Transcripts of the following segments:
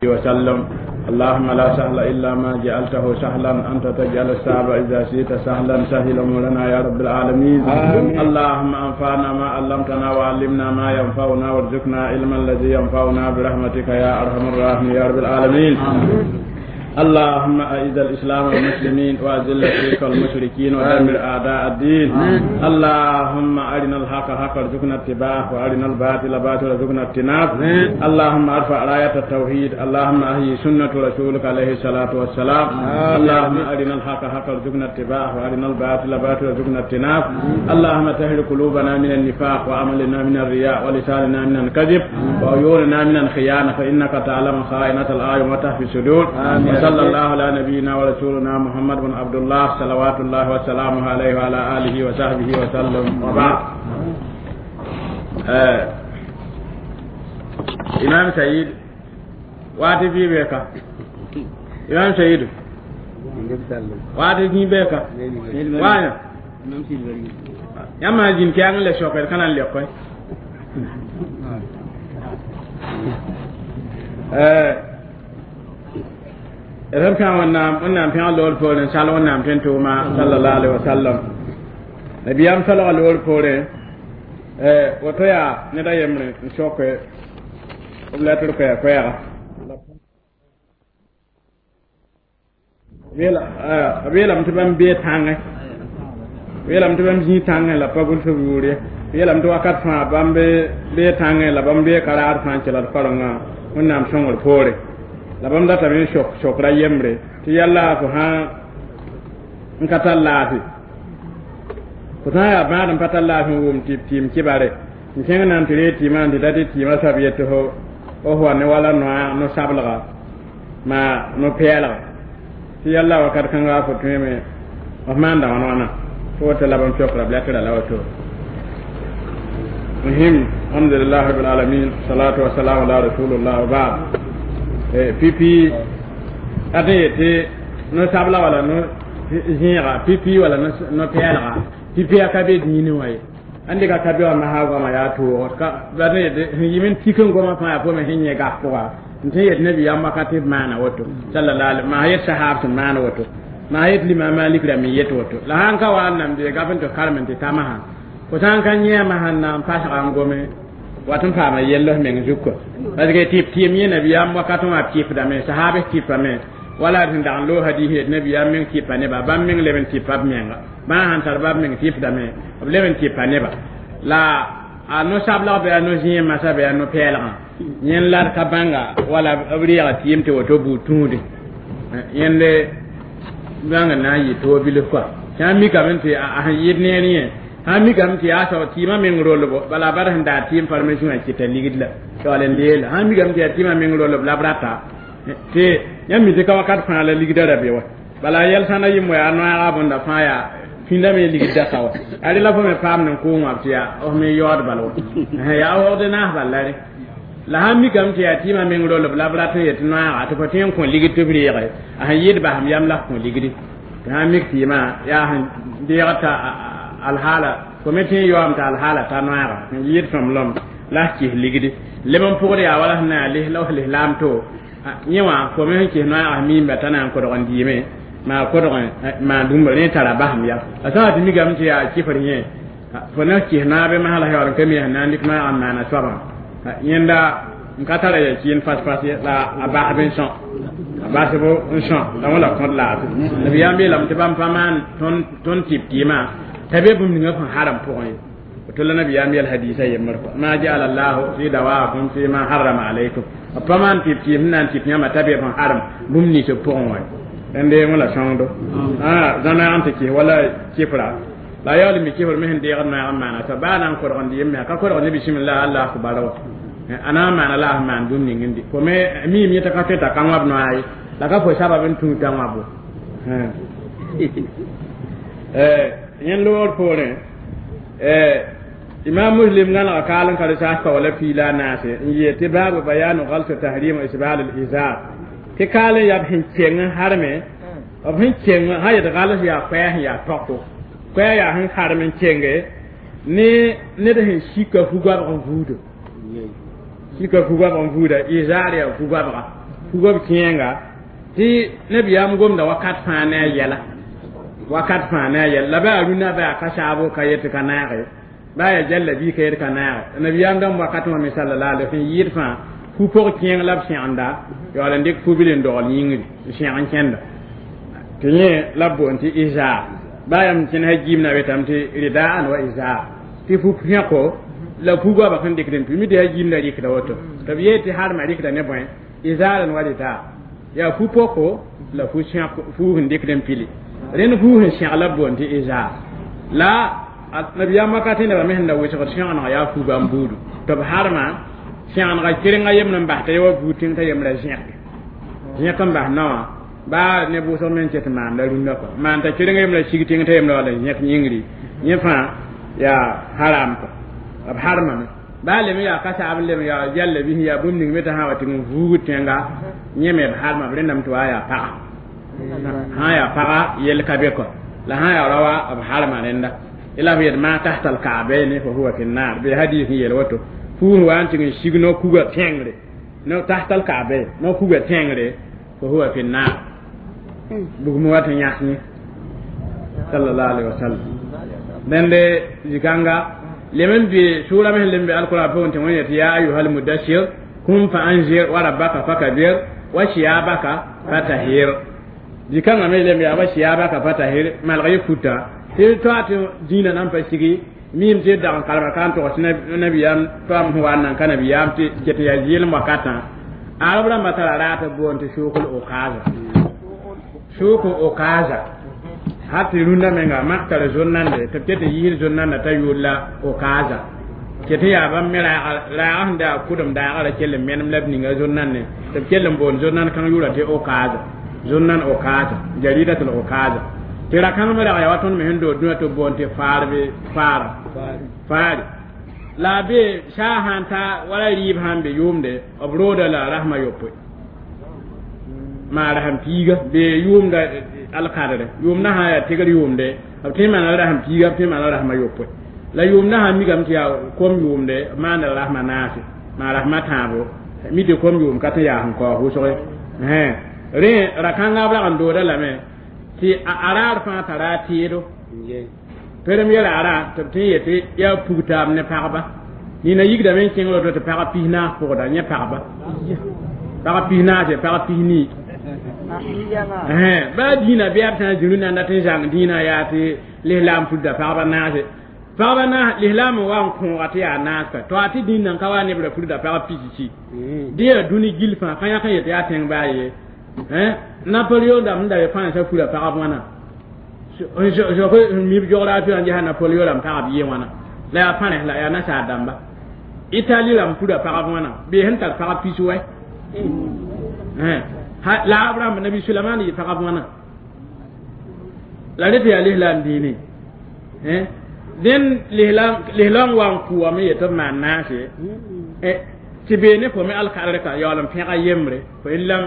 وسلم. اللهم لا سهل إلا ما جعلته سهلا، أنت تجعل الصعب إذا شئت سهلا. سهل أمورنا يا رب العالمين. آمين. اللهم أنفعنا ما علمتنا وعلمنا ما ينفعنا وارزقنا علما الذي ينفعنا برحمتك يا أرحم الراحمين يا رب العالمين. آمين. اللهم أعز الإسلام والمسلمين وأذل الشرك والمشركين ودمر أعداء الدين. آمين. اللهم أرنا الحق حقا وارزقنا اتباعه وأرنا الباطل باطلا وارزقنا اجتنابه. آمين. اللهم ارفع راية التوحيد، اللهم أحيي سنة رسولك عليه الصلاة والسلام. آمين. اللهم أرنا الحق حقا وارزقنا اتباعه وأرنا الباطل باطلا وارزقنا اجتنابه. اللهم طهر قلوبنا من النفاق وعملنا من الرياء ولساننا من الكذب وعيوننا من الخيانة، فإنك تعلم خائنة الأعين وتخفي الصدور. آمين. وصلى الله على نبينا ورسولنا محمد بن عبد الله صلوات الله وسلامه عليه وعلى آله وصحبه وسلم. وبعد. إمام سعيد واتي في بيكا. إمام سعيد واتي في بيكا. وانا. يا ما جين كيان لا شوكر كان ليكوي. Rẽb pẽg Wẽnnaam pẽg loor poorẽ, sal Wẽnnaam tõe n tʋʋma sallallahu alaihi wasallam. Nabiyaam solga loor poorẽ, woto yaa ned a yembre n soke b letr koɛɛ-koɛɛga. B yeelame tɩ bãmb bee tãngẽ, b yeelame tɩ bãmb zĩig tãngẽ la pa gʋls b yʋʋr ye. B yeelame tɩ wakat fãa bãmb bee tãngẽ la bãmb bee karaad fãa n kelg karengã Wẽnnaam sõngr poore. La bãmb datame n sokra yembre tɩ yalla fo sã n ka tar laafɩ, fo sã n yaa bãad n pa tar laafɩ n wʋm tɩ b tɩɩm kɩbare n kẽng na n tɩ ree tɩɩmã n tɩ da tɩ tɩɩmã soab yet tɩ fo wa ne wala no-sablga maa no-pɛɛlga tɩ yalla wakat kãnga fo tõeme f maanda wãn wãna tɩ woto la bãmb sokra b letra la woto. Muhim, alhamdulillah rabbil alamin, salatu wassalamu ala rasulillah wa ba'd. Pipi ate yete no-sabla wala no-zẽega pipi wala no-pɛɛlga pipi a ka be dĩinẽ wã ye. Ãn dɩka ka be wã masã goamã yaa toog ka ate yete sẽn yɩm n tik n goamã fãa yaa pʋgẽ sẽn yẽ gas pʋga n tõe n yet nabiyaam wakat tɩ b maana woto sallallahu alaihi maa yet sahab sẽn maan woto maa yet limam Malik rãmb n yet woto. La sãn ka wa n nam bee gaf n tɩ karem n tɩ ta masã fo sã n ka yẽ masã n na n pasga n gome wat n paama yell f meng zug kɔ. Parce que tɩ b tɩɩm yẽ nabiyaam wakat wã b kɩpdame, sahabs kɩpame wala sẽn dag n loog hadis yet nabiyaam meng kɩpa neba, bãmb meng leb n tɩpa b menga, bãa sãn tar bãmb meng tɩpdame b leb n tɩpa neba. La a no-sablg bɩ a no-zẽem masã bɩ a no-pɛɛlgã yẽnd la d ka bãnga wala b reega tɩɩm tɩ woto buud tũude yẽnde bãng n na n yɩ toog bilf kɔa. Sã n mikame tɩ a sẽn yɩd neer yẽ, sã n mikame tɩ yaa soab tɩɩmã meng rolbo, bala bad sẽn daa tɩɩm farmasi wã kɩta ligd la yaool n deela. Sã n mikame tɩ yaa tɩɩmã meng rolb la b rata tɩ yãmb mi tɩ ka wakat fãa la ligda ra be wa, bala yɛl sã na yɩm wa yaa noaaga bõnda fãa yaa pĩndame ligda ka wa. A rela fo me paam n kʋʋng wã tɩ yaa f me yaood bal wa, yaa waoogd naas bal la re. La sãn mikame tɩ yaa tɩɩmã meng rolb la b rat n yet noaaga tɩ fo tõe n kõ ligd tɩ b reege a sẽn yɩɩd basem yam la f kõ ligdi. Tɩ sãn mik tɩɩmã yaa sẽn deegd t'a alhaala fo me tõe n yaoom t'a alhaala ta noaaga sẽn yɩɩd sõmblem la f kɩs ligdi leb n pʋgd yaa wala sẽn na yaa la f lislaam to yẽ wã fo me sẽn kɩs noaaga miimba t'a na n kodg n dɩɩme maa kodg maan bũmba rẽ tara basem yam. A sã wa tɩ mikame tɩ yaa kɩfr yẽ fo na kɩs naab masã la yaool n ka mi sẽn na n dɩk noaaga n maana soabã yẽnda n ka tara ya kɩɩn fas-fas ye la a basb n sõ, a basb n sõ la wã la kõt laafɩ. Nabiyaam beelame tɩ bãmb pa maan tõnd tɩp tɩɩmã t'a be bũmb ninga sẽn harem pʋgẽ ye. Woto la nabiyaam yɛl hadisa yembr kɔa ma jaala llahu fi dawaakum fi ma harrama alaykum, b pa maan tɩp tɩɩm sẽn na n tɩp yãmba t'a be sẽn harem bũmb nins b pʋgẽ wã ye. Rẽnde wã la sõngdo zãnoɛɛg n tɩ kɩs wala kɩfra la yaool mi kɩfr me sẽn deegd noɛɛg n maana soab baa na n kodg n dɩ yem me ka kodg ne bisimillah allah akbar wa a na n maana la a sẽn maan bũmb ning n dɩ fo me miime yẽ t'a ka tõe t'a ka wãb noaa ye la ka fo sabab n tũud t'a wãbo. Yẽnd loogr poorẽ imam Muslim gãnega kaal n ka rɩsaas pa wala piila a naase n yeel tɩ baabu bayanu galsu tahrim isbal al izar tɩ kaal n yaa b sẽn keng n harme b sẽn keng sã yet gals yaa koɛɛ sẽn yaa tɔko koɛɛ yaa sẽn harem n kenge ne ned sẽn sika fugoabg n vuudo sika fugoabg n vuuda izar yaa fugoabga Fuga b kẽenga tɩ nabiyaam gomda wakat fãa ne a yɛla wakat fãa ne a yɛla la baa rũnã baa ka saabo ka yet ka naage baa yaa jallabi ka yet ka naage nabiyaam dãmb wakat wã me sallallahu alaihi wasallam yɩɩd fãa fu-pʋg kẽeng la b sẽgenda yaool n dɩk fu-bil n dogl yĩngri n sẽg n kẽnda tɩ yẽ la b boond tɩ izar baa yãmb kẽnes gimna betame tɩ ridaan wa izar tɩ fu-pẽko la fu-goabã sẽn dɩkd n pʋ mi tɩ yaa gimda rɩkda woto tɩ b yee tɩ harmã rɩkda ne bõe izaaran wa ridaa yaa fu-poko la fu sẽn dɩkd n pili rẽnd fu sẽn sẽg la b boond tɩ izar la nabiyaam wakatẽ nebã me sẽn da wɩsgd sẽgeneg yaa fu-bãmb buudu tɩ b harmã sẽgenega kerenga yemd n bas t'a ye wa buud tẽng t'a yembrã zẽgde zẽk n bas naowã baa ne bʋʋsg me n ket maanda rũndã kɔ maan t'a kerenga yembrã sig tẽng t'a yembrã wala zẽk yĩngri yẽ fãa yaa haram kɔ b harmame baa lem yaa ka saab lem yaa jallabi yaa bũmb ning me t'a sã wa tɩ n vuugd tẽnga yẽ me b harma b rẽndame tɩ waa yaa paga sã yaa paga yell ka be kɔ la sã yaa raoa b harma rẽnda la b yet maa tahta alkaabayni fa huwa fi nnar bɩ hadis n yel woto fuus wa n tɩg n sig no kuga tẽngre no tahta alkaabayn no kuga tẽngre fa huwa fi nnar bugum wa tɩ yãs yẽ sallallahu alaihi wasallam dẽnde zikãnga lem n be sʋʋra me sẽn lem be alkʋrã pʋgẽ tɩ wẽn yetɩ ya ayuha almudassir kum fa anzir wa rabbaka fakabir wa siyabaka fatahir zikãngã me lem yaa wa siyabaka fatahir malg yɩ futa tɩ toa tɩ dĩinã nan pa sigi miim tɩ dag n kalma ka n togs nabiyaam toam sẽn wa n nan ka nabiyaam tɩ ket n yaa zɩɩlem wakatã arab rãmbã tara raat b boond tɩ sʋʋkl okaza sʋʋk okaza har tɩ rũndã menga mak tara zon-nande tɩ b ket n yiisd zon-nanda t'a yʋʋr la okaza ket n yaa bãmb me raaga sẽn daa kʋdem daagã ra kell n menem la b ninga zon-nande tɩ b kell n boond zon-nand kãng yʋʋra tɩ okaza zon-nan okaza jaridatul okaza tɩ ra-kãng me rag yaa wa tõnd me sẽn dood dũniyã tɩ b boond tɩ faarbe faara faare la a be saa sãn ta wala rɩɩb sãn be yʋʋmde b rooda la rasmã yopoe maa rasem piiga be yʋʋmda alkadre yʋʋmdã sã yaa tɩgr yʋʋmde b tõe n maana rasem piiga b tõe n maana rasmã yopoe la yʋʋmdã sã mikame tɩ yaa kom yʋʋmde b maanda rasmã naase maa rasmã tãabo mi tɩ kom yʋʋm ka tɩ yaa sẽn kaoog wʋsge rẽ ra-kãngã b rag n dooda lame tɩ a raar fãa tara a tɩɩdo premier ara tɩ b tõe n yetɩ yaa pug taab ne pagba nina yigdame n kẽng roto tɩ pag 14 pʋgda yẽ pagba pag 14 pag 14 baa dĩinã bɩ b sã n zĩ rũnanda tɩ n zãng dĩinã yaa tɩ lislaam pudda pagba naase pagba naas lislaam n wa n kõoga tɩ yaa naas ka to a tɩ dĩinã ka wa nebra pudda pag 60 dẽ yaa dũni gil fãa ka yãk n yetɩ yaa tẽng baa ye Napoleon dãmb sẽn da be fãnsã fura pagb wãna zoke mib géographie n ges Napoleon rãmb pagb yɩ wãna la yaa pãnes la yaa nasaar dãmba Italie rãmb pura pagb wãna bee sẽn tar pagb pis wɛ la ab rãmb nabi Suleman yɩ pagb wãna la rẽ tɩ yaa lislaam dĩine dẽn lislaam wa n kʋʋame yetɩ b maan naase tɩ bee ne fo me alkadre ka yaool n pẽga yembre fo lam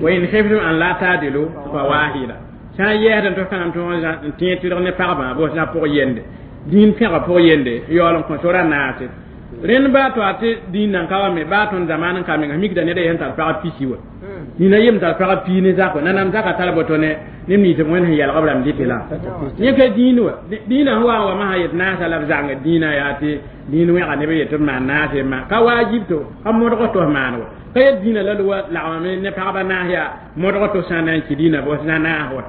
wa in khiftum an la ta'dilu fa wahida sã n yɛɛsd n tɩ kãngam tɩ n tẽeg tɩrg ne pagbã bos na pʋg yende dĩin pẽga pʋg yende yaool n kõ sora naase rẽnd baa to a tɩ dĩin nan ka wa me baa tõnd zamaan n ka menga mikda ned a yen tar pagb pisi wa nina yem tar pagb pii ne zak wa nanam zaka tar boto ne neb nins b wẽnd sẽn yɛlg b rãmb dɩtɩ la yẽ ka dĩin wa dĩinã sẽn wa n wa masã yet naasa la b zãng dĩinã yaa tɩ dĩin wẽga neb yetɩ b maan naase ma ka waajib to ka modg tɩ f maan wa ka yet dĩinã la wa lagmame ne pagba naas yaa modg tɩ sã n na n kɩ dĩinã bos na naas wa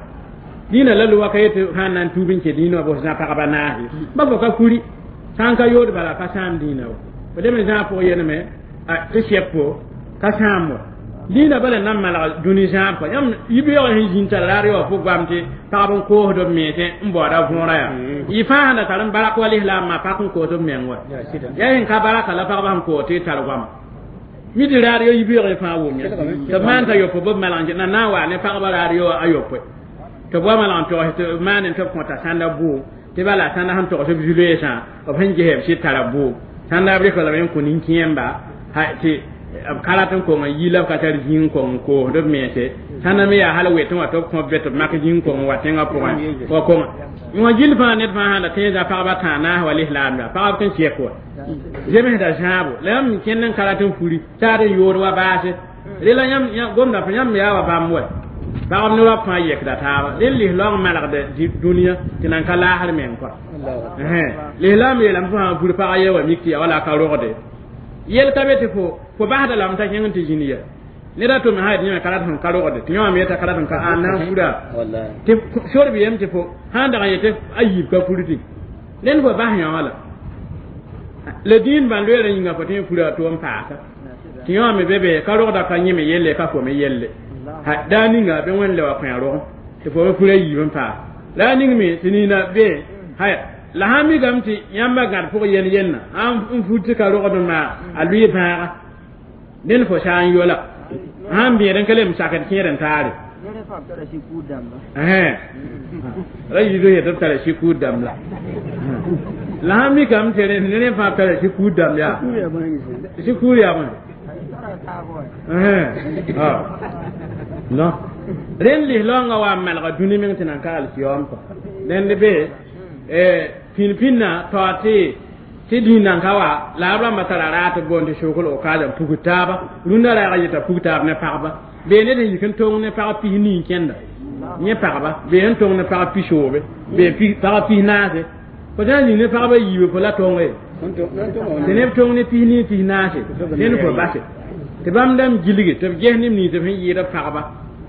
dĩinã la loa ka yetɩ sã n na n tuub n kɩ dĩinã wa bos na pagba naas ye ba fo ka kuri sã n ka yood bala ka sãam dĩinã wa fo lem n zãag pʋg yeneme tɩ sɛpo ka sãam wa dĩinã bala na n malg dũni zãab kɔ yãmb yibeoog sẽn zĩnd tara raar yaoog fo goam tɩ pagb n koosd b mensẽ n baooda võora yaa yɩ fãa sẽn da tar n barak wa lislaamã pak n koos b meng wa yaa sẽn ka baraka la pagba sẽn koos tɩ tar goama mi tɩ raar yo yibeoog fãa wʋm ya tɩ b maan t'a yopoe b malg n na na n waa ne pagba raar yo a yopoe tɩ b wa malg n togs tɩ b maan n tɩ b kõta sãnda bʋʋm tɩ bala sãnda sẽn togs b zu-loeesã b sẽn ges b sɩd tara bʋʋm sãnda b rɩk lame n kõ nin-kẽemba tɩ b ka rat n kong n yi la b ka tar zĩig kong n koosd b mense sãnda me yaa hal wetẽ wa tɩ b kõ b tɩ b mak zĩig kong n wa tẽngã pʋgẽ wa konga wã gill fãa ned fãa sã la tõe n zã pagba tãa naas wa lislaam yaa pagb tɩ n sɛk wa zemsda zãabo la yãmb kẽnd n ka rat n furi taad n yood wa baase Rela yãmb gomda fo yãmb yaa wa bãmb wɛ pagb ne rab fãa yɛkda taaba rẽnd lislaoong malgd dũniyã tɩ nan ka laasr meng kɔa lislaam yeelame fo sã n fur pag ye wa mik tɩ ya wala ka rogde yel ka be tɩ fo basda lame t'a kẽng tɩ zĩnd ya ned a tʋm sã yẽ ka rat sẽn ka rogde tɩ yõwame yeta ka rat n ka a na n fura tɩ sor b yem tɩ fo sã n dag n yetɩ a yiib ka fur tɩ rẽnd fo bas yõ wã la la dĩin bãn loeerã yĩnga fo tɩ fura tʋ n paasa tɩ yõwame be be ka rogda ka yẽme yelle ka fo me yelle daa ninga bɩ wẽnd le wa kõ rogem tɩ fo be fura yiib n paas la a ning me tɩ nina be haya la sãn mikame tɩ yãmba gãd pʋg yen yenna n fur tɩ ka rogd n maa a lʋɩ bãaga dẽnd fo sã n yola sãn bẽed n ka lem sakd kẽed n taare ra yiido yetɩ b tara sikuur dãmb la la sãn mikame tɩ ne rẽ fãa b tara sikuur dãmb yaa sikuur yaa bõe non rẽnd lislaoongã wa n malga dũni meng tɩ nan ka alkiyoom kɔ rẽnd be pĩn-pĩnnã taoor tɩ dĩin nan ka wa la b rãmbã tara raat b boond tɩ sokl okaasã pugd taaba rũndã raagã yeta pug taab ne pagba bee ned sẽn yik n tong ne pag pis nii n kẽnda yẽ pagba bee sẽn tong ne pag pisoobe bee pag pis naase fo sã n zĩng ne pagba yiibe fo la tonge tɩ neb tong ne pis nii pis naase ned fo base tɩ bãmb dãmb gilge tɩ b ges neb nins b sẽn yɩɩd b pagba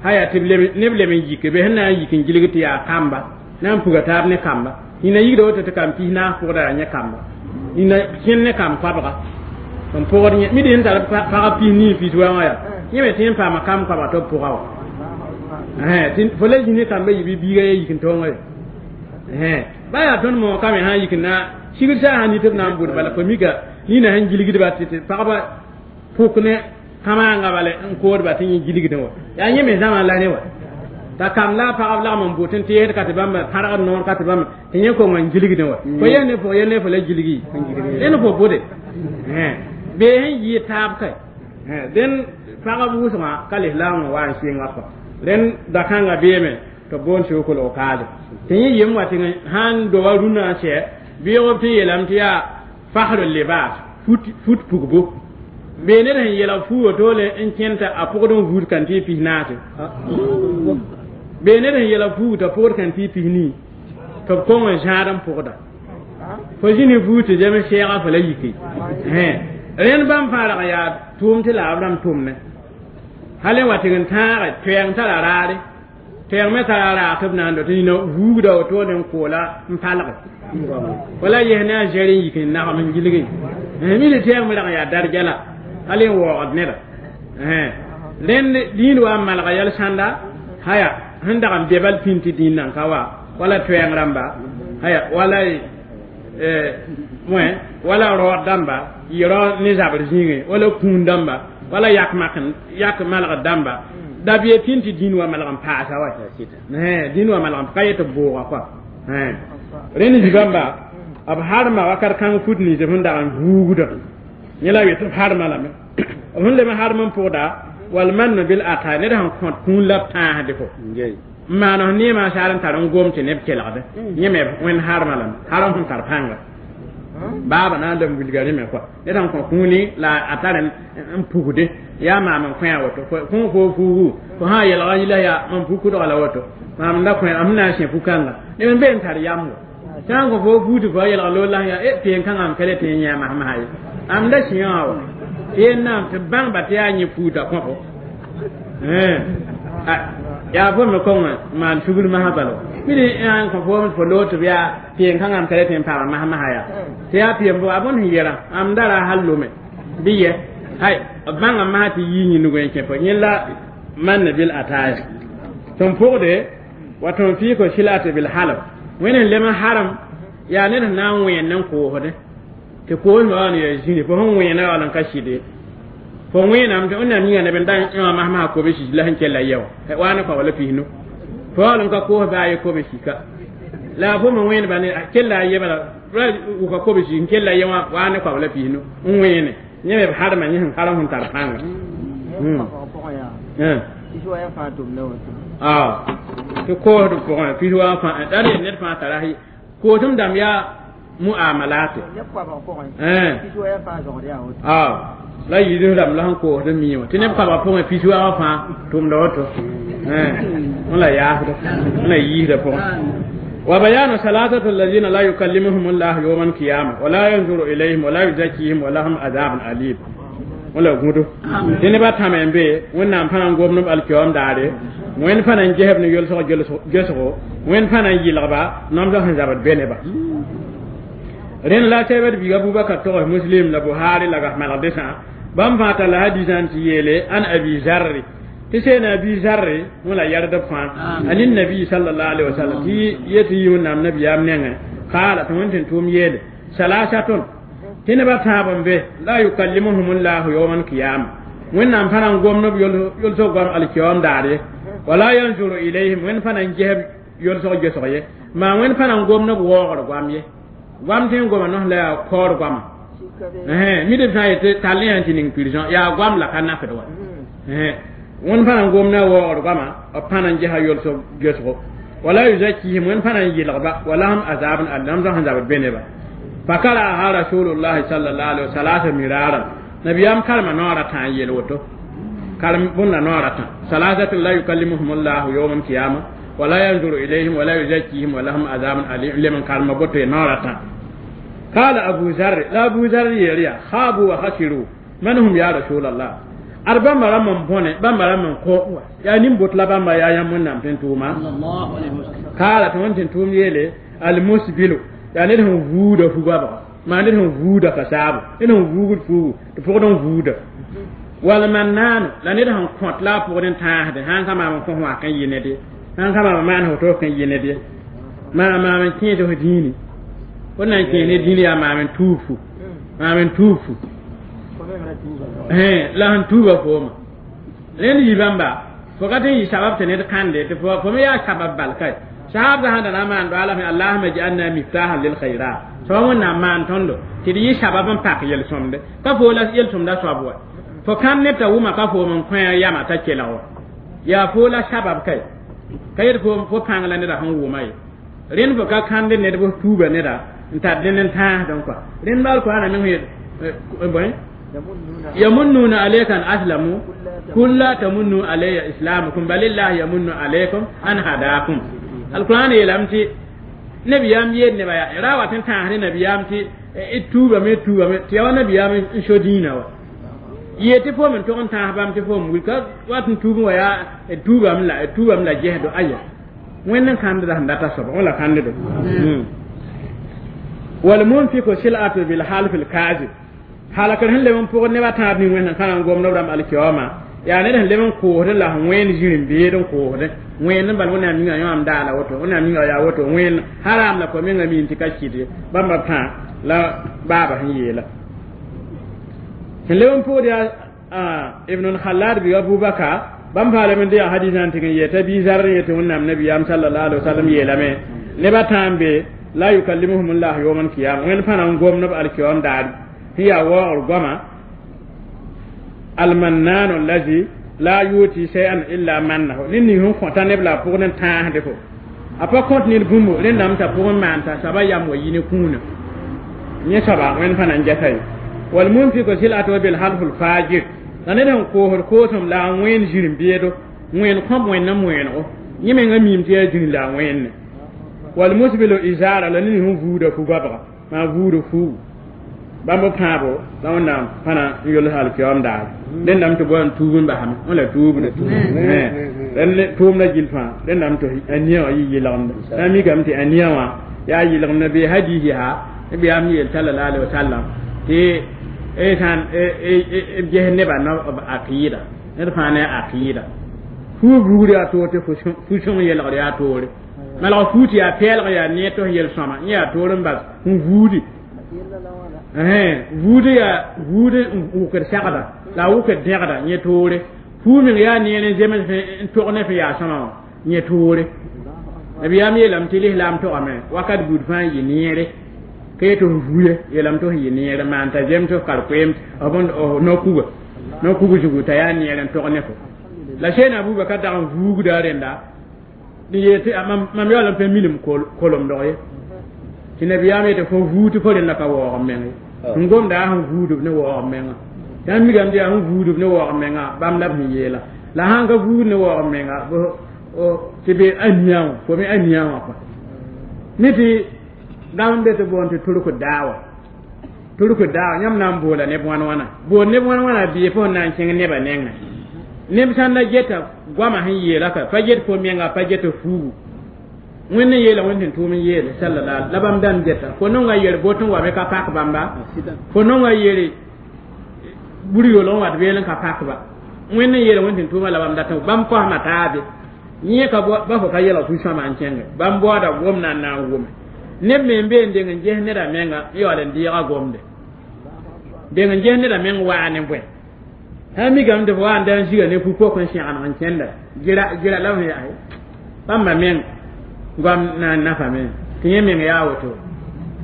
haya tɩ neb leb n yike bee sẽn na n yik n gilg tɩ yaa kamba na n puga taab ne kamba nina yigda woto tɩ kam pis naas pʋgda yaa yẽ kamba nina kẽnd ne kam koabga n pʋgd yẽ mid sẽn tar pagb pis nii pis wã wã yaa yẽ me tɩ n paama kam koabga tɩ b pʋga wa fo la zĩ ne kamba yɩ bɩ biiga ya yik n tõonga ye ba yaa tõnd moog kame sã n yik na sigd saa sã nit b na n bʋd bala fo mika nina sẽn gilgdba tɩ pagba pʋk ne kamaanga bala n koodba tɩ yẽ gilgdẽ wa yaa yẽ me zãma la ne wa t'a kam la pagb lagm n bʋt n teesd ka tɩ bãmb pãrgd noor ka tɩ bãmb tɩ yẽ kong n gilgdẽ wa fo yel ne fo yel ne fo la gilgi rẽnd fo bʋde bee sẽn yɩɩ taab ka dẽn pagb wʋsgã ka lislaamã wa n sɩnga kɔ rẽnd da-kãngã beeme tɩ b boond sokl okaase tɩ yẽ yem wa tɩ sãn doba rũnã n sɛ bɩɩg b tɩ yeelame tɩ yaa fasr libas fut pugbo bee ned sẽn yeelg fuu wotole n kẽnd t'a pʋgd n vuud kan tɩ pis naase bee ned sẽn yeelg fuug t'a pʋgd kan tɩ pis nii tɩ b kong n zãad n pʋgda fo zĩni fuug tɩ zem sɛɛga fo la yike rẽnd bãmb fãa rag n yaa tʋʋm tɩ la b rãmb tʋmne hal n wa tɩg n tãage toɛɛng tara raare toɛɛng me tara raag tɩ b na n do tɩ nina vuugda wotone n koola n palge wala yes ne a zɛr n yik n nagem n gilge mi tɩ toɛɛng me rag n yaa darja la hal n waoogd neda rẽnd dĩin wa n malga yɛl sãnda haya sẽn dag n be bal pĩn tɩ dĩin nan ka wa wala toɛɛng rãmba haya wala wala raood dãmba yɩ rao ne zabr zĩigẽ wala kũun dãmba wala yak malgd dãmba da bee pĩn tɩ dĩin wa malg n paasa wa dĩin wa malg n ka yetɩ bʋʋga kɔa rẽnd zibãmba b harma wakat kãng fut nins b sẽn dag n vuugda yẽ la yetɩ b harma lame b sẽn leb n harm n pʋgda wal mann bil ata ned sẽn kõt kũun la b tãasde fo n maan f neemã saar n tar n gom tɩ neb kelgde yẽ me wẽnd harma lame harm sẽn tar pãnga baaba na n leb n wilga rẽ me kɔa ned sẽn kõ kũuni la a tar n pugde yaa maam n kõ a woto kõ fo fuugu fo sã n yelga yila yaa mam pu-kʋdga la woto maam da kõ m na n sẽ pu-kãnga neb n be n tar yam wa sã n kõ fo fuug tɩ fo a yelga loor la yaa e tɩ kãngã m ka le tɩ yẽ masmasã ye am da sẽa wã wa tɩ yen naam tɩ bãngba tɩ yaa yẽ fuuta kõ fo yaa fo me kõng maan sugr masã bala mid n kõ fo fo loog tɩ b yaa peen kãngã m ka le tɩ n paama masmasã yaa tɩ yaa peen bo a bõn sẽn yɛra am da ra hal lome bɩ yɛ hay b bãnga masã tɩ yii yĩnug n kẽ fo yẽ la mann bil ataya tɩ n pʋgde wa tɩ n fɩɩ ko silate bil halb wẽnd sẽn lem n harem yaa ned sẽn na n wẽen n koosde tɩ koosmã wa n yaa zĩni fo sẽn wẽena wala n ka sɩde fo wẽename tɩ wẽnnaam yĩnga neb n da yõ masmasã kobe sis la sẽn kella yɛ wã wa ne koabla pisnu fo wal n ka koos baa ye kobe sika la fo me wẽenba ne kella a ye bala wʋka kobe sis n kella yɛ wã wa ne koabla pisnu n wẽene yẽ me b harma yẽ sẽn harem sẽn tar pãnga tɩ koosd pʋgẽ pis wa fãa da re ned fãa tara koosem dãmb yaa muamalate La yidis rãmb la sẽn koosd n mii wã tɩ neb koabga pʋgẽ pis wagã fãa tʋmda woto wẽn la yaasda wẽn la yiisda pʋgẽ. وبيان ثلاثة الذين لا يكلمهم الله يوم القيامة ولا ينظر إليهم ولا يزكيهم ولهم عذاب أليم. Wala gũdo tɩ nebã tãme n be Wẽnnaam fãa n gomd b alkiyoom daare, Wẽnd fãa na n gesb ne yolsg gesgo, Wẽnd fãa na n yɩlgba namsg sẽn zabd be nebã. Rẽnd la sɛbd biig Abubakar togs Muslim la Buhari la gas malgdesã bãmb fãa talla hadisã n tɩ yeele an Abi Zarri tɩ seen Abi Zarri wẽ la yɛrdb fãa ani nabi sallallahu alaihi wasallam tɩ yetɩ yɩ Wẽnnaam nabiyaam nengẽ kaala tɩ Wẽnd tɩ tʋʋm yeele salasatun tɩ nebã tãab n be la yukallimuhum llahu yawma alqiyama Wẽnnaam fãa na n gomd b yolsg goam alkiyoom daar ye wala yanzuru ilayhim Wẽnd fãa na n gesb yolsg gesg ye maa Wẽnd fãa na n gomd b waoogr goam ye goam tɩ n goma nos la yaa kaoor goama mi d sã n yetɩ tall yã tɩ ning prison yaa goam la ka nafd wa. Wẽnd fãa na n gomda waoogr goama b fãa na n gesa yolsg gesgo wala yuzakihim Wẽnd fãa na n yɩlgba walahum azabun alim namsg sẽn zabd be nebã. فقرأها رسول الله صلى الله عليه وسلم ثلاث مرارا نبيام كلمة نورة يلوتو كلمة بنا نورة ثلاثة لا يكلمهم الله يوم القيامة ولا ينظر إليهم ولا يزكيهم ولهم عذاب أليم لمن كلمة بوتو نورة. قال أبو ذر لا أبو ذر يريا خابوا وخسروا من هم يا رسول الله أربع مرة من بونه بمرة من كو يعني بوتلا بما يا يمن نام تنتوما الله عليه وسلم. قال تنتوم يلي المسبل yaa ned sẽn vuuda fugabga maa ned sẽn vuuda kasaabo ned sẽn vuugd fuugu tɩ pʋgd n vuuda wal mannaano la ned sẽn kõt la a pʋgd n tãasde sãn ka maam n kõ wãk n yɩ ned ye sãn ka maam n maan fo tɩ f n yɩ ned ye maa maam n kẽes f dĩini fo na n kẽes ne dĩini yaa maam n tuub fu maam n tuub fu la sẽn tuuba fooma rẽnd yi bãmba fo ka tɩ n yɩ sabab tɩ ned kãnde tɩ fo me yaa sabab bal kae sahab sãn da na maan doala fe allahuma ij'alna miftahan lil khairat soaba Wẽnnaam maan tõndo tɩ d yɩ sabab n pak yel-sõmde ka fo la yel-sõmda soab wa fo kãn ned t'a wʋma ka foom n kõ yama t'a kelg wa yaa fo la sabab kae ka yet fo pãng la neda sẽn wʋma ye rẽnd fo ka kãnde ned b tuuba neda n tar dẽnd n tãasdẽ kɔa rẽnd baal koaana meng yet bõe yamunnuna alayka an aslamu kul la tamunnu alayya islamakum balillah yamunnu alaykum an hadakum alquran yeelame tɩ nabiyaam yeel nebã yaa ra wat n tãas ne nabiyaam tɩ tuubame tuubame tɩ yaa wa nabiyaam n so dĩinã wa yee tɩ fo me tog n tãas bãmb tɩ fo m wil ka wat n tuub wa yaa tuubame la gesdo aya Wẽnd n kãndda sẽn data soaba wẽ la kãndedo walmunfiku silatu bilhalf lkazib halakr sẽn leb n pʋgd nebã tãab ning wẽnd sẽn ka na n gomd b rãmb alkiyooma yaa ned sẽn leb n koosd la sẽn wẽnd zĩr-n-beed n koosd wẽnd n bal Wẽnnaam yĩnga yõam daala woto Wẽnnaam yĩnga yaa woto wẽnd haram la fo menga miin tɩ ka kɩt ye bãmba tã la baaba sẽn yeela sẽn leb n pʋgd yaa Ibn Khalad bi Abubakar bãmb faa leb n dɩ yaa hadisã n tɩg n yeta Bi Zar n yetɩ Wẽnnaam nabiyaam sallallahu alaihi wasallam yeelame nebã tã n be la yukallimuhum llah yawma alqiyama Wẽnd fãa na n gomd b alkiyoom daar sẽn yaa waoogr goama almannanu allazi la yuti shay'an illa mannahu ned ning sẽn kõta neb la a pʋgd n tãasde fo a pa kõt ned bũmbu rẽndame t'a pʋgẽ maan t'a soaba yam wa yi ne kũuna yẽ soaba Wẽnd fãa na n gɛsa ye walmunfiku silatuhu bilhalfu lfajir la ned sẽn koosd koosem la a wẽnd zĩr-n-beedo wẽnd kõb wẽnd n wẽenego yẽ menga miim tɩ yaa zĩr la a wẽnne walmusbilu izara la ned sẽn vuuda fugabga maa vuuda fuugu bãmb pãabo la Wẽnnaam fãa na n yols alkiyoom daar rẽndame tɩ bao n tuub n basame wẽ la tuubda rẽnd tʋʋmda gill fãa rẽndame tɩ a nia wã yɩ yɩlgemda na mikame tɩ a nia wã yaa yɩlgemda bee hadis yaa nabiyaam yeel sallallahu alaihi wasallam tɩ sãn b ges nebã b aqɩɩda ned fãa ne a aqɩɩda fuug rugr yaa toor tɩ fu-sõng yelgr yaa toore malg fuu tɩ yaa pɛɛlg yaa neer tɩ f yel-sõma yẽ yaa toor n bas n vuudi vuudi yaa vuudi n wʋkd sagda la a wʋkd dẽgda yẽ toore fuu meng yaa neer n zems n tog ne f yaa sõma wã yẽ toore nabiyaam yeelame tɩ lislaam togame wakat buud fãa n yɩ neere ka yetɩ f vuye yeelame tɩ f yɩ neere maan t'a zems f kar-koeem f no-kuga no-kug zugu t'a yaa neer n tog ne fo la seen Abubakar dag n vuugda rẽnda n yeel tɩ mam yaool n pa minim kolomdg ye tɩ nabiyaam yetɩ fo vuug tɩ fo rẽnda ka waoog m meng ye sẽn gomda a sẽn vuudb ne waoog m menga Tã migame tɩ yaa sẽn vuudb ne waoog menga bãmb la b sẽn yeela la sãn ka vuud ne waoog menga tɩ be a nia wã fo me a nia wã kɔa ne tɩ gam be tɩ boond tɩ turk daawa turk daawa yãmb na n boola neb wãn wãna bood neb wãn wãna bɩ fo na n kẽng nebã nengẽ neb sãn da geta goamã sẽn yeela ka pa get fo menga pa get fuugu wẽnd n yeela wẽnd tɩ tʋʋm n yeele salala la bãmb dãmb geta fo nonga yer bot n wa me ka pak bãmba fo nonga yere bur yolg n wat beel n ka pak ba wẽnd n yeela wẽnd tɩ tʋʋma la bãmb dat bãmb kosma taabe yẽ ka ba fo ka yɛlg fu-sõama n kẽnge bãmb baooda gomdã n na n wʋme neb me n bee n deng n ges neda menga n yaool n deega gomde deng n ges neda meng waa ne bõe sã n mikame tɩ fo wa n da n ziga ne fu-pok n sẽgeneg n kẽnda gira la f sẽn yaa bãmba meng goam na n nafame tɩ yẽ meng yaa woto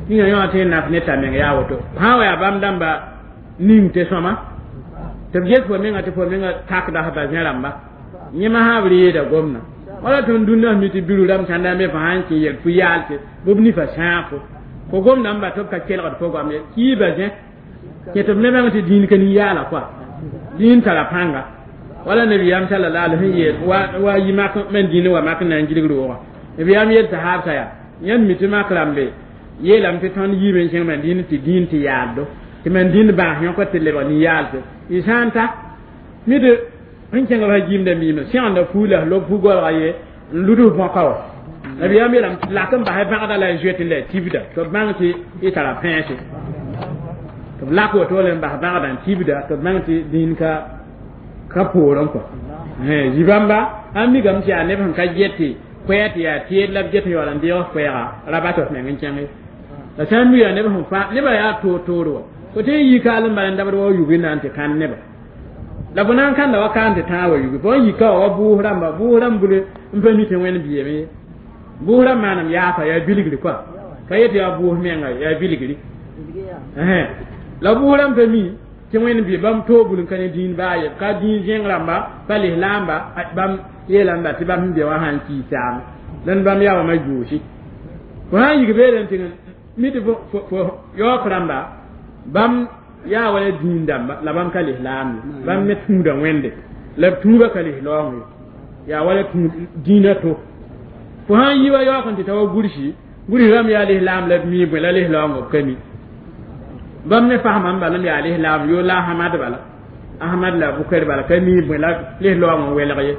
tɩ yã yõ tɩ naf ne t'a meng yaa woto sã n wa yaa bãmb dãmba ning tɩ sõma tɩ b ges fo menga tɩ fo menga takda ba zẽ rãmba yẽma sã b reeda gomdã wala tõnd dũnna mi tɩ biru rãmb sãnda me fo sã n kẽ yel fu-yaal tɩ bɩ b nifa sãag fo fo gomdã n ba tɩ b ka kelgd fo goam ye kiiba zẽ kẽ tɩ b ne bãng tɩ dĩin ka nin-yaala kɔa dĩin tara pãnga wala nabiyaam sallallahu alaihi yeel wa yi mak man dĩinã wa mak na n gilg roogã nabiyaam yel tɩ haabsa yaa yãmb mi tɩ mak rãmbe yeelame tɩ tõnd yiime n kẽng man dĩin tɩ dĩin tɩ yaaddo tɩ man dĩnd bãas yõk tɩ lebg nin-yaalse y sã n ta mi tɩ n kẽng fa gimda miime sẽgenda fuu la lob fu-goalga ye n luds bõka wa nabiyaam yeelame tɩ lak n basɛ bãgda la n zoet la tibda tɩ b bãng tɩ y tara pẽese tɩ b lak woto le n bas bãgda n tibda tɩ b bãng tɩ dĩin ka poorẽ kɔ zibãmba a migame tɩ yaa neb sẽn ka get tɩ koɛɛ tɩ yaa teed la b get n yaool n deeg koɛɛga ra bas f meng n kẽnge la sã n mi yaa neb sẽn fã nebã yaa toor-toor wa fo tɩ n yi kaal n bala n dabd wa yugi na n tɩ kãn neba la fo na n kãnda wa kaan tɩ tãag wa yugi fo n yika wa wa bʋʋs rãmba bʋʋs rãmb bule n pa mi tɩ wẽnd biame ye bʋʋs rãmb maanam yaafa yaa bilgri kɔa ka yet yaa bʋʋs menga yaa bilgri la bʋʋs rãmb pa mi tɩ wẽnd bɩ bãmb toog bul n ka ne dĩin baa ye ka dĩin zẽng rãmba pa lislaamba bãmb yeelame tɩ bãmb sẽn be wã sã n kii saame dẽnd bãmb yaa wãma yoosi fo sã n yik beere n tɩ mi tɩ fo yaook rãmba bãmb yaa wala dĩin dãmba la bãmb ka lislaam ye bãmb me tũuda wẽnde la b tũubã ka lislaoong ye yaa wala dĩinã to fo sã n yi wa yaook n tɩ ta wa gursi gursi rãmb yaa lislaam la b mi bõe la lislaoongã b ka mi bãmb me fasma n bala m yaa lislaam yo la Ahmad bala Ahmad la Bukar bala ka mi bõe la lislaoong n welg ye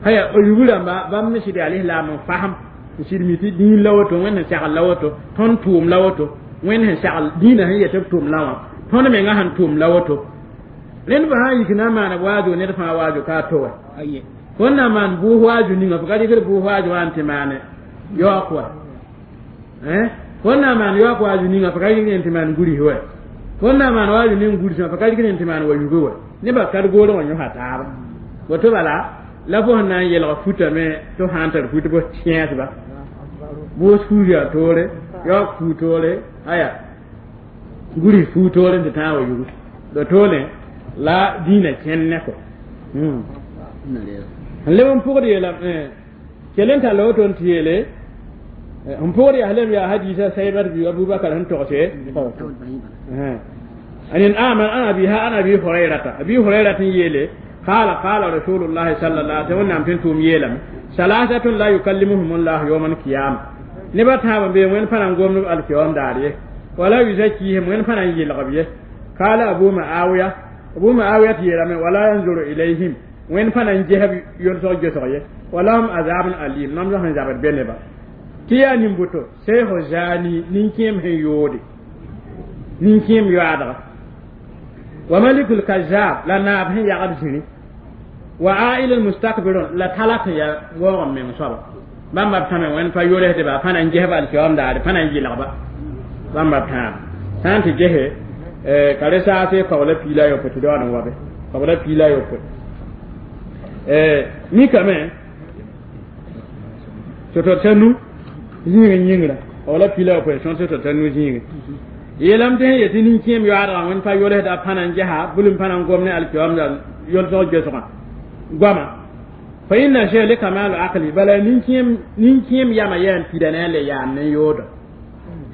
haya o yugu rãmba bãmb me sɩd yaa lislaam n fasem n sɩd mi tɩ dĩin la woto wẽnd sẽn segl la woto tõnd tʋʋm la woto wẽnd sẽn segl dĩinã sẽn yet b tʋʋm la wã tõnd menga sẽn tʋʋm la woto rẽnd fo sã n yik na n maana waazo ned fãa waazo ka a to wa fo n na n maan bʋʋs waazo ninga fo ka rɩkd bʋʋs waazo wã n tɩ maane yaook wa fo n na n maan yaook waazo ninga fo ka rɩkd n tɩ maan guris wa fo n na n maan waazo ning guris wã fo ka rɩkd n tɩ maan wa yuge wa nebã ka d goor wã yõsa taaba woto bala la fo sẽn na n yelg futame tɩ f sã n tar fut bɩ kẽesba bʋʋs fuus yaa toore yaook fuu toore aya guris fuu toore n tɩ tãag wa yugu la toore la dĩinã kẽnd ne kɔ n leb n pʋgd yeela kell n talla woto n tɩ yeele n pʋgd yaa lem yaa hadiisa saibat bi abubakar sẽn togse an aman an abiha an abi hurairata abi hurairata n yeele قال قال رسول الله صلى الله عليه وسلم تنتم يلم ثلاثة لا يكلمهم الله يوم القيامة نبات هذا بين وين فلان قوم القيام داريه ولا يزكيهم وين فلان يلغبيه قال أبو معاوية أبو معاوية يلم ولا ينظر إليهم وين فلان جهب يرسل جسريه ولهم عذاب أليم نم لهم عذاب بينبا تيا نمبوتو سيخ زاني نينكيم هيودي نينكيم يادغ وملك الكذاب لا ناب هي يغب زني وعائل المستكبرون لا تلك يا وغم من صبا بام بام وين فيوله تبا فانا نجه بالكيوم دار فانا نجي لغبا بام بام سانت جه kare saase kawla piila yopoe tɩ daood n wa be kawla piila yopoe mikame tɩ tɩ nu zĩig n yĩngra kawla piila yopoe sõn tɩ tɩ nu zĩige yeelame tɩ sẽn yetɩ nin-kẽem yoaadgã wẽnd pa yolsda pãna n gesa bul n pãna n gom ne alkiyoamda yolsg gesgã goama fa inna shay li kamalu aqli bala nin-kẽem yama yaa n pida ne a le yaam ne yooda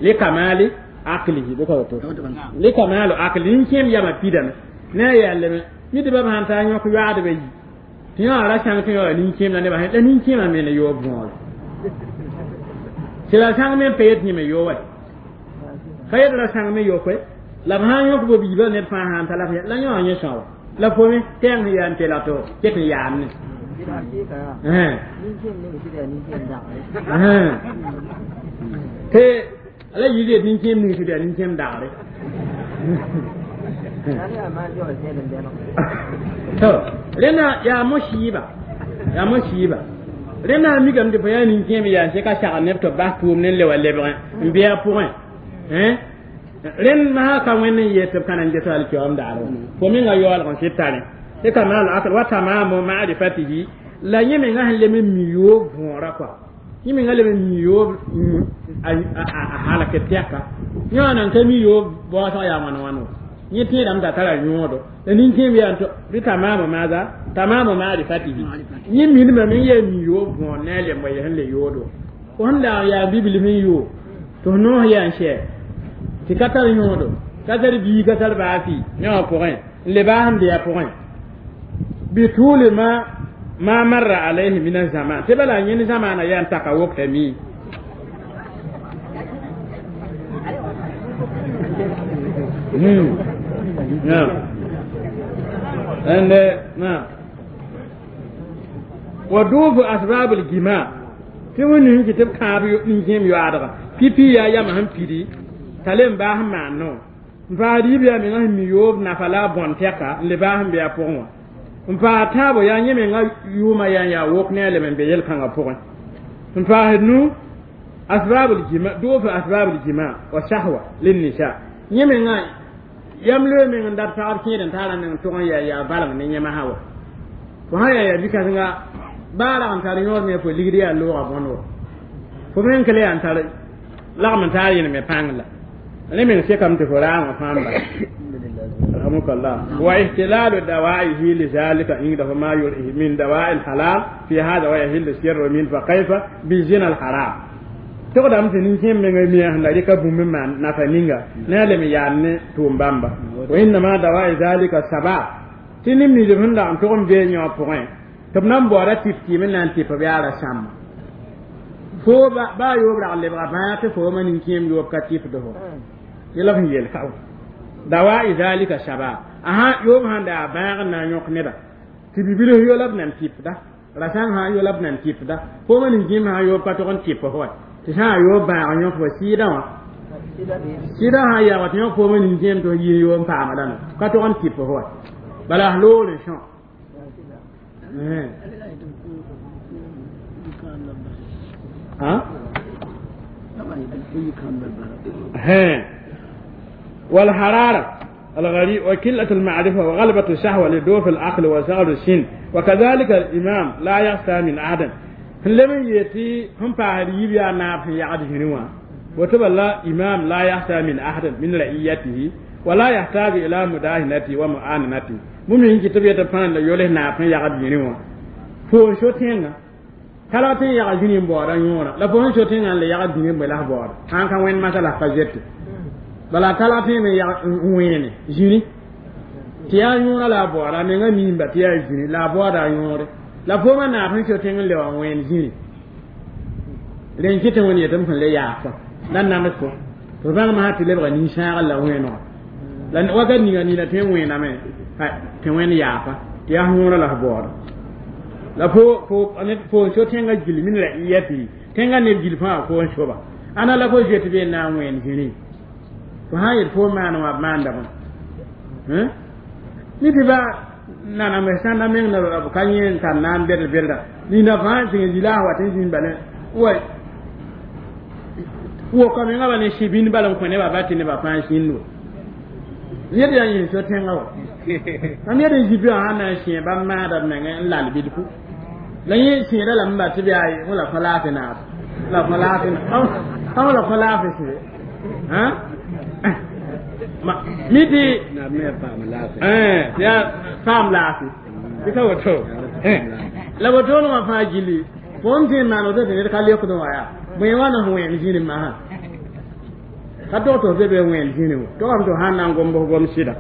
li kamali aqlihi bɩ ka woto li kamalu aqli nin-kẽem yama pidame Ne yɛlme mi tɩ ba sãn taa yõk yoaadbã yi tɩ yõ ra sãng tɩ yõ nin-kẽem la nebã la nin-kẽemã me ne yoob võore tɩ la sãng me n pa yet yẽ me yo wa ka yet ra sãng me yokoe la b sãn yõk bo biibã ned fãa sãn ta la la yõ yẽ são la fo me tɛng sẽn yaa n tela to ket n yaam ne tɩ la yɩ yet nin-kẽem ning sɩd yaa nin-kẽem dagre to rẽna yaa mosiiba yaa mosiiba rẽna mikame tɩ fo yaa nin-kẽem yaa sẽka sagl neb tɩ b bas tʋʋm ne n le wa lebgẽ n bɩ a pʋgẽ rẽnd masã ka wẽnd n yet tɩ b ka na n ges alkiyoom daar fo menga yaoolg n sɩd tare tɩ kamal akl wa tamamu ma'rifatihi la yẽ menga sẽn lem n mi yoob võora kɔa yẽ menga lem n mi yoob a halk tɛka yõ nan ka mi yoob baoosg yaa wãn wãn wa yẽ tẽedame t'a tara yõodo la nin-kẽem yaa tɩ tamamu maada tamamu ma'rifatihi yẽ minimame n yaa mi yoob võor ne a lemba yɛ sẽn le yoodo fo sẽn dag yaa bibilf n yoo tɩ f noos yaa n sɛ tɩ ka tar yõodo ka tar bii ka tar baasi ne wã pʋgẽ n le baas n be a pʋgẽ bituli ma marra alayhi min azaman tɩ bala yẽnd zamaana yaa n taka wokta mii wa duufu asbab aljima tɩ wẽnd tɩ b kãab nin-kẽem yoaadga pipi yaa yama sẽn pidi t'a le n baas n maan no n paas yiib yaa menga sẽn mi yoob nafa la a bõn tɛka n le baas n be a pʋgẽ wã n paas tãabo yaa yẽ menga yʋʋma yaa n yaa wok ne a lem n be yel-kãngã pʋgẽ n paasd nu asbab aljima duufu asbab aljima wa sahwa linnisa yẽ menga yam loe meng n dat pagb kẽed n taara meng tʋg n yaa yaa valeng ne yẽmasã wa fo sã yaa yaa bikãsenga baa rag n tar yõod me fo ligd yaa loogã bõnd wa fo meng ka le yaa n tar lagm n taar yẽne me pãng la rẽ meng sekame tɩ fo raangã fãa n bala alhamdukallah wa ihtilalu dawaihi lizalika indahu ma yurihi min dawai lhalal fi hada wa yahillu sirru min fa kayfa bizina alharam togdame tɩ nin-kẽem menga mia sẽn la rɩka bũmb n maan nafa ninga ne a lem yaam ne tʋʋm bãmba wa innama dawai zalika sabab tɩ ne milf sẽn dag n tʋg n bee yõ pʋgẽ tɩ b nan baooda tɩp tɩɩm n na n tɩp b yaa ra sãmba fo baa yoob rag lebga bãag tɩ fooma nin-kẽem yoob ka tɩpd fo yẽla sẽn yel ka dawai zalika sabab asa yoob sãn daa bãag n na n yõk neba tɩ bibilf yo la b nan tɩpda rasãng sã yo la b nan tɩpda fooma nin-kẽem sã yoob ka tʋg n tɩp fo wa tɩ sã a yoob bãag n yõk fo sɩɩdã wã sɩdã sã yaa wa tɩ yõk fooma nin-kẽem tɩ f yis yoob n paamda no ka tʋg n tɩp fo wa bala f loogr n sõ والحرارة الغريب وقلة المعرفة وغلبة الشهوة لدوف العقل وصغر السن وكذلك الإمام لا يخشى من أحد لم يتي هم فاريب يا ناب يعد هنوا وتبى الله إمام لا يخشى من أحد من رعيته ولا يحتاج إلى مداهنته ومعانته ممكن كتب يتفان يوله ناب يعد هنوا فو شو تينا kala tɩ n yag zĩni n baooda yõora la fo sẽn so tẽngã n le yagd zĩni n bõe la f baooda sã n ka wẽnd masã la f pa zete bala kala tɩ me yag n wẽene zĩni tɩ yaa yõora la a baooda a menga miimba tɩ yaa zĩni la a baooda a yõore la foomã naab sẽn so tẽng n le wa n wẽen zĩni rẽ n kɩ tɩ wẽnd yetɩ m sẽn le yaas la nams fo tɩ f bãng masã tɩ lebga nin-sãagr la wẽenega la wakat ninga nina tɩ n wẽename tɩ wẽnd yaafa tɩ yaa yõora la f baooda la fo fo fo so tẽngã gil min ra'iyati tẽngã neb gil fãa fo n soba ãna la fo zoet be n na n wẽen zĩni fo sã n yet fo maan wã b maanda bõe mi tɩ ba naname sãnda meng na b ka yẽ n tar naan bed bedra nina fãa tɩ zila a wat n zĩnd bala wa woka menga ba ne sibin bala n kõ nebã ba tɩ nebã fãa sĩnd wa yed yaa yẽ so tẽngã wa mam yed n zibi wã sãn na n sẽe bãmb maada b mengẽ n lal bilfu la yẽ sẽeda lame ba tɩ bɩ ay la kõ laafɩ naab la kõ laafɩ ãw la kõ laafɩ sɩ mi tɩ yaa paam laafɩ tɩ ka woto la wotoon wã fãa gilli fo n tɩ n maan woto tɩ ned ka lekd wã yaa bõe wãna f wẽen zĩni masã ka dog tɩ f be be wẽen zĩni wã togame tɩ f sãn na n gomb f gom sɩda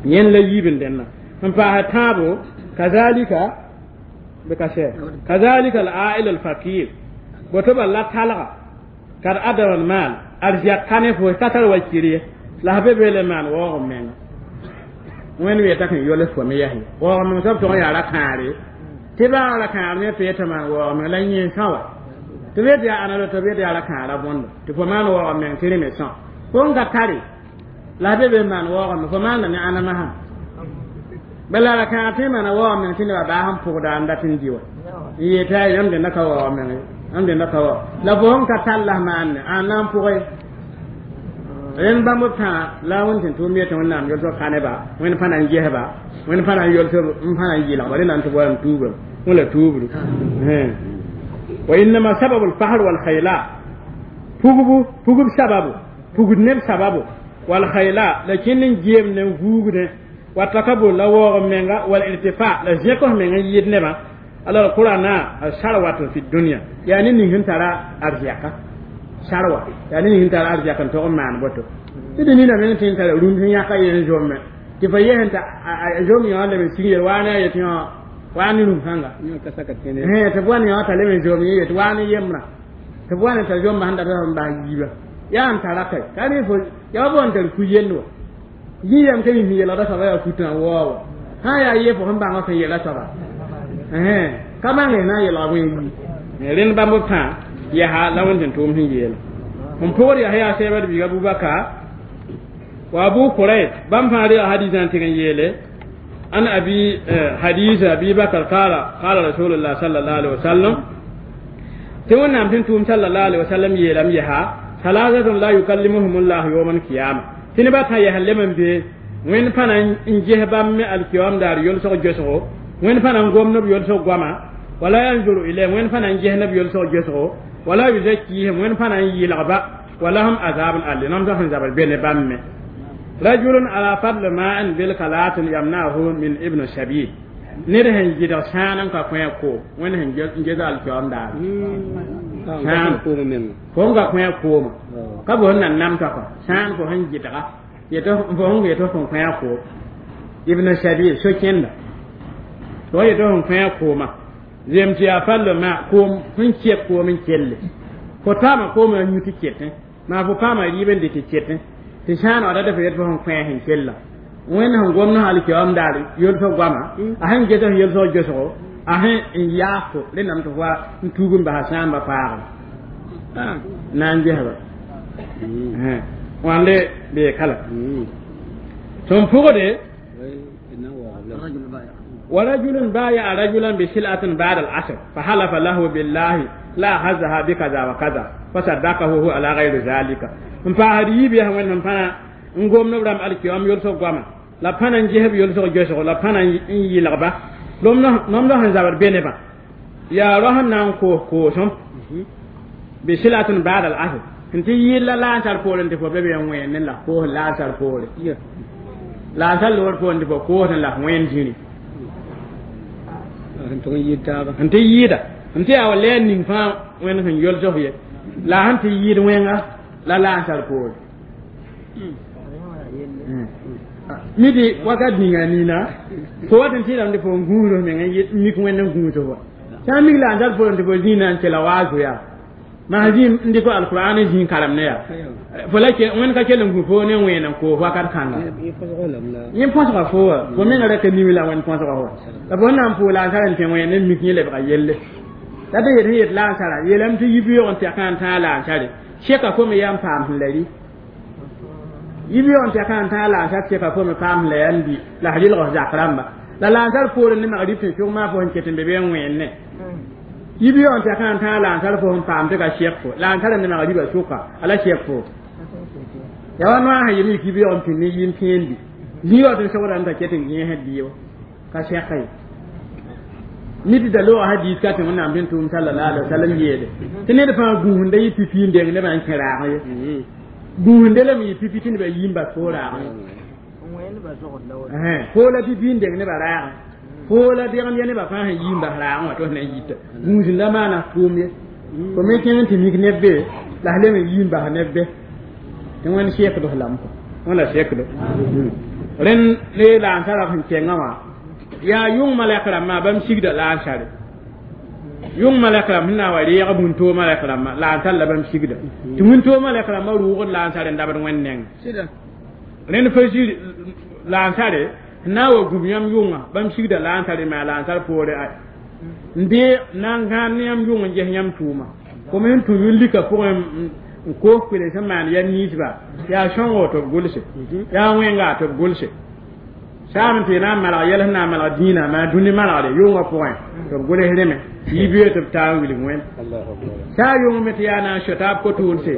Yẽnd la yiib n dẽnna n paas tãabo kazalika bɩ ka sɛ kazalika al-ail al-fakir boto bal la talga kad adama al-mal arzɛk ka ne fo ka tar wa kir ye la f be be le maan waoog menga wẽnd weeta kẽn yols fo me yɛs ye waoog meng soab tʋg n yaa ra-kãare tɩ baa ra-kãar ne tɩ yetɩ maan waoog meng la yẽ sã wa tɩ be tɩ yaa ãna tɩ be tɩ yaa ra-kãara bõndo tɩ fo maan waoog meng tɩ rẽ me sã fo n ka tare la f be be maan waoog meng fo maanda ne ãna masã bala ra-kãar tɩ maana waoog meng tɩ nebã baa sẽn pʋgda n dat n dɩ wa n yetɩ a yãmb dẽnda ka waoog meng yãmb dẽnda ka waoog la fo sẽn ka tall la f maanne ãn na n pʋgẽ rẽnd bãmb b tãa la wẽnd tɩ tʋʋm yetɩ wẽnnaam yolsg ka neba wẽnd pãna n gesba wẽnd pãna n yolsg n pãna n yɩlgba rẽnd na n tɩ wa n tuubra wẽla tuubru wa innama sababu lfahr walkhayla pugbu pugb sababu pugd neb sababu walkhayla la kẽnd n geem ne n vuugdẽ wa takabur la waoog menga wal irtifa la zẽk f meng n yɩɩd nebã alors qur'ana sarwat fi dunya yaa ne ning sẽn tara arzɛka sarwa yaa ne ning sẽn tara arzɛk n tog n maan boto tɩ dẽ nina meng tɩ n tara rũnd sẽn yãka yen zomme tɩ fa yesẽn t'a zom yõ leb n sig yel waa ne a yetɩ yõ waa ne rũm kãnga tɩ b wa ne yõ t'a leb n zom yẽ yetɩ waa ne yembrã tɩ b wa ne t'a zomba sẽn data n bas yiiba yaa n tara kai ka rẽ fo yaa wa n tar ku-yell wa yĩyam ka mi yeelgda soaba yaa kutã waoog wa sã n yaa ye fo sẽn bãng sẽn yeela soaba ka bãng na n yeelga bõe yi rẽnd bãmb b tãa yaa la wẽnd tɩ tʋʋm sẽn yeela n pʋgd yaa yaa sɛɛbd biig Abubakar wa Abu Kurayb bãmb fãa rega hadisã n tɩg n yeele an abi hadis Abi Bakr qala qala Rasulullah sallallahu alaihi wasallam tɩ wẽnnaam tɩ n tʋʋm sallallahu alaihi wasallam yeelame yaa salasatun la yukallimuhum llahu yawma alqiyama tɩ nebã tã yaa lem n be wẽnd pãna n ges bãmb me alkiyam daar yolsg gesgo wẽnd pãna n gom neb yolsg goama wala yanzuru ilayhim wẽnd pãna n ges neb yolsg gesgo wala yuzakkihim wẽnd pãna n yɩlgba walahum azabun alim mam sẽn zabr be ne bãmb me rajulun ala fadl ma'in bil kalatin yamnahu min ibn sabil ned sẽn gɩdg sãan n ka kõ ko wẽnd sẽn ges alkiyam daar sãan fo n ka kõ kooma ka fo sẽn na nam t'a kɔ sãan fo sẽn gɩdga fo sẽn yetɩ fo n kõ koom ibn sabil so-kẽnda fo yetɩ fo n kõ kooma zem tɩ yaa fall ma koom sẽn kɛk koom n kelle fo taama koomã yũ tɩ ketẽ maa fo paama rɩɩb n dɩ tɩ ketẽ tɩ sãan wã data fo yetɩ fo sẽn kõ sẽn kella wẽnd sẽn gomd alkiyam daar yolsg goama a sẽn ges f yolsg gesgo a sẽn n yaas fo rẽndame tɩ fo wa n tuug n basa sãamba paagre na n gesba wãnde bee kala tɩ n pʋgde ورجل بايع رجلا بسلعة بعد العصر فحلف له بالله لا هزها بكذا وكذا فصدقه هو على غير ذلك n paasd yiib yaa wẽnd sẽn pãna n gom neb rãmb alkiyam yolsg goama la pãna n gesb yolsg gesgo la pãna n yɩlgba nomd sẽn zabd be nebã yaa rao sẽn na n koos koosem bisilatun ba'da al-asr n tɩ yɩɩl la laasar poorẽ tɩ fo be be n wẽen la koos laasar poore laasar loor poorẽ tɩ fo koos n la f wẽen zĩri n tɩ yɩɩda n tɩ yaa wa lɛɛr ning fãa wẽnd sẽn yolsg ye la sẽn tɩ yɩɩd wẽnga la laasar poore midi wakat ninga nina fo wat n tɩɩdame tɩ fo n gũusd f meng n mik wẽnd n gũusd wa sã n mik la n tar poorẽ tɩ fo zĩig na n kela waazo yaa maa zĩ n dɩk alqur'an n zĩig karem ne yaa fo la wẽnd ka kell n gũ fo ne wẽen n koos wakat kãnga yẽ põsga fo wa fo menga ra ka nimi la wẽnd põsga fo la fo na n pʋʋg la n tar n tẽ wẽen n mik yẽ lebga yelle la tɩ yet sẽn yet la n tara yeelame tɩ yibi-yoog n tɛkã n tãag la n tare seka fo me yaa n paam sẽn la rɩ yibi-yoog n tɛkã n tãag la n tar seka fo me paam sẽn la yaa n bi la f rɩlg f zak rãmba la la n tar poorẽ ne magrib tɩ sʋg maa fo sẽn ket n be be n wẽenne yibi-yoog n tɛkã n tãag la n tar fo sẽn paam tɩ ka sɛk fo la n tara ne magribã sʋka a la sɛk fo yaa wa noa sẽn yem yik yibi-yoog n pĩnd ne yɩɩm pẽen bi zĩ-yaoog tɩ sogda n ta ket n gẽesd bɩ ka sɛka ye nid da loogã hadis ka tɩ wẽnnaam tɩ n tʋʋm sallallahu alaihi wasallam yeele tɩ ned fãa gũusda yɩ pipi n deng nebã n kẽ raag ye gũusde lame yɩ pipi tɩ nebã yi n bas fo raag ye fo la pipi n deng nebã raagẽ fo la degem ya nebã fãa sẽn yi n bas raagẽ wã tɩ f na n yita gũusda maana tʋʋm ye fo me kẽng tɩ mik neb be la f lem n yi n bas neb be tɩ wẽnd sekd f lame wẽnd la sekdo Rẽnd ne la n tara sẽn kẽngã wã yaa yʋng malɛk rãmbã bãmb sigda la n sare yʋng malɛk rãmb sẽn na n wa reeg wĩntoog malɛk rãmbã la n tar la bãmb sigda tɩ wĩntoog malɛk rãmbã rʋʋgd la n sare n dabd wẽnd neng rẽnd fa zir la n sare n na n wa gũb yãmb yʋngã bãmb sigda la n sare maa la n sar poore ay n dee na n gãan ne yãmb yʋng n ges yãmb tʋʋma kom sẽn tũ yʋn-lika pʋgẽ n koos kpele sẽn maan yɛl ninsba yaa sõngo tɩ b gʋlse yaa wẽnga tɩ b gʋlse saam tɩ na n malg yɛl sẽn na n malg dĩinã maa dũni malgre yʋngã pʋgẽ tɩ b gʋls rẽme yibeoog tɩ b taa n wilg wẽnd saa yʋng me tɩ yaa na n sɔ taab ko-tʋʋlse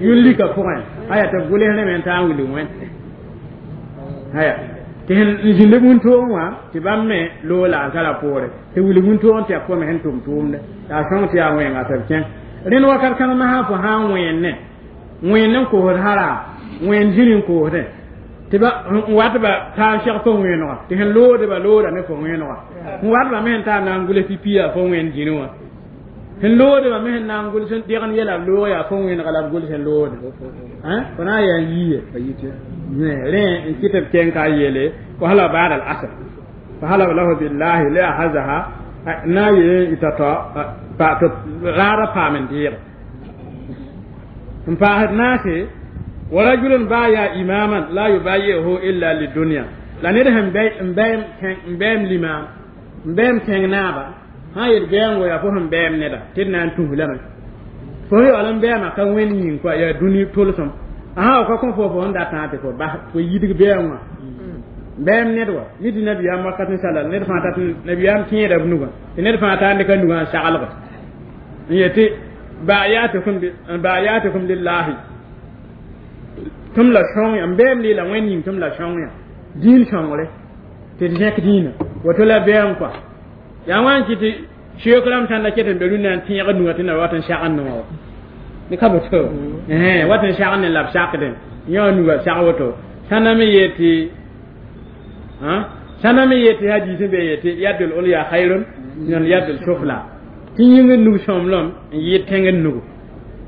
yʋn-lika pʋgẽ aya tɩ b gʋls rẽme n taa n wilg wẽnd aya tɩ sẽn zĩnd wĩntoogẽ wã tɩ bãmb me loog la n tara poore tɩ wilg wĩntoogẽ tɩ yaa pʋgẽ sẽn tʋm tʋʋmde yaa sõng tɩ yaa wẽnga tɩ b kẽng rẽnd wakat kãng masã fo sã n wẽenne wẽnd n koosd hara wẽnd zĩri n koosdẽ tɩ ba n wat ba taa n seg fo wẽenega tɩ sẽn loodba looda ne fo wẽenega n watba me sẽn taa na n gʋls pipi yaa fo wẽnd zĩri wã sẽn loodba me sẽn na n gʋls degn yɛla b loog yaa fo wẽenega la b gʋls n loode fo na n yaa n yiye rẽ n kɩ tɩ b kẽng ka yeele fa ba'da al-asr fa halaba lahu billahi la ahazaha na ye ita tɩ raada paam n deege n paasd naase wa rajulun baya imaman la yubayi'uhu illa lidunya la ned sẽn n bɛɛm limaam n bɛɛm tẽng naaba sã yel bɛɛngo yaa fo sẽn bɛɛm neda tɩ d na n tus lame fo sẽn yaool n bɛɛma ka wẽnd yĩng koa yaa dũni tʋlsem a sã wa ka kõ fo sẽn datã tɩ fo bas fo yidg bɛɛng wã bɛɛm ned wa mi tɩ nabiyaam wakat n sala ned fãa tat nabiyaam kẽeda b nugã tɩ ned fãa taa n dɩka nugã n saglge n yetɩ bayatukum lillahi tɩm la sõng yã n bɛɛm leela wẽnd yĩng tɩm la sõng yã dĩin sõngre tɩ d zẽk dĩinã woto la bɛɛm kɔa yaa wã n kɩ tɩ seook rãmb sãn da ket n be rũnnã n tẽeg nugã tɩ na wat n sagend wã wa ne ka boto wat n sagend la b sakdẽ yã nugã sag woto sãnda me yetɩ sãnda me yetɩ hadiis n be yetɩ yadul ulya khayrun min yadul sufla tɩ yĩngr nug sõmblem n yɩɩd tẽngr nugu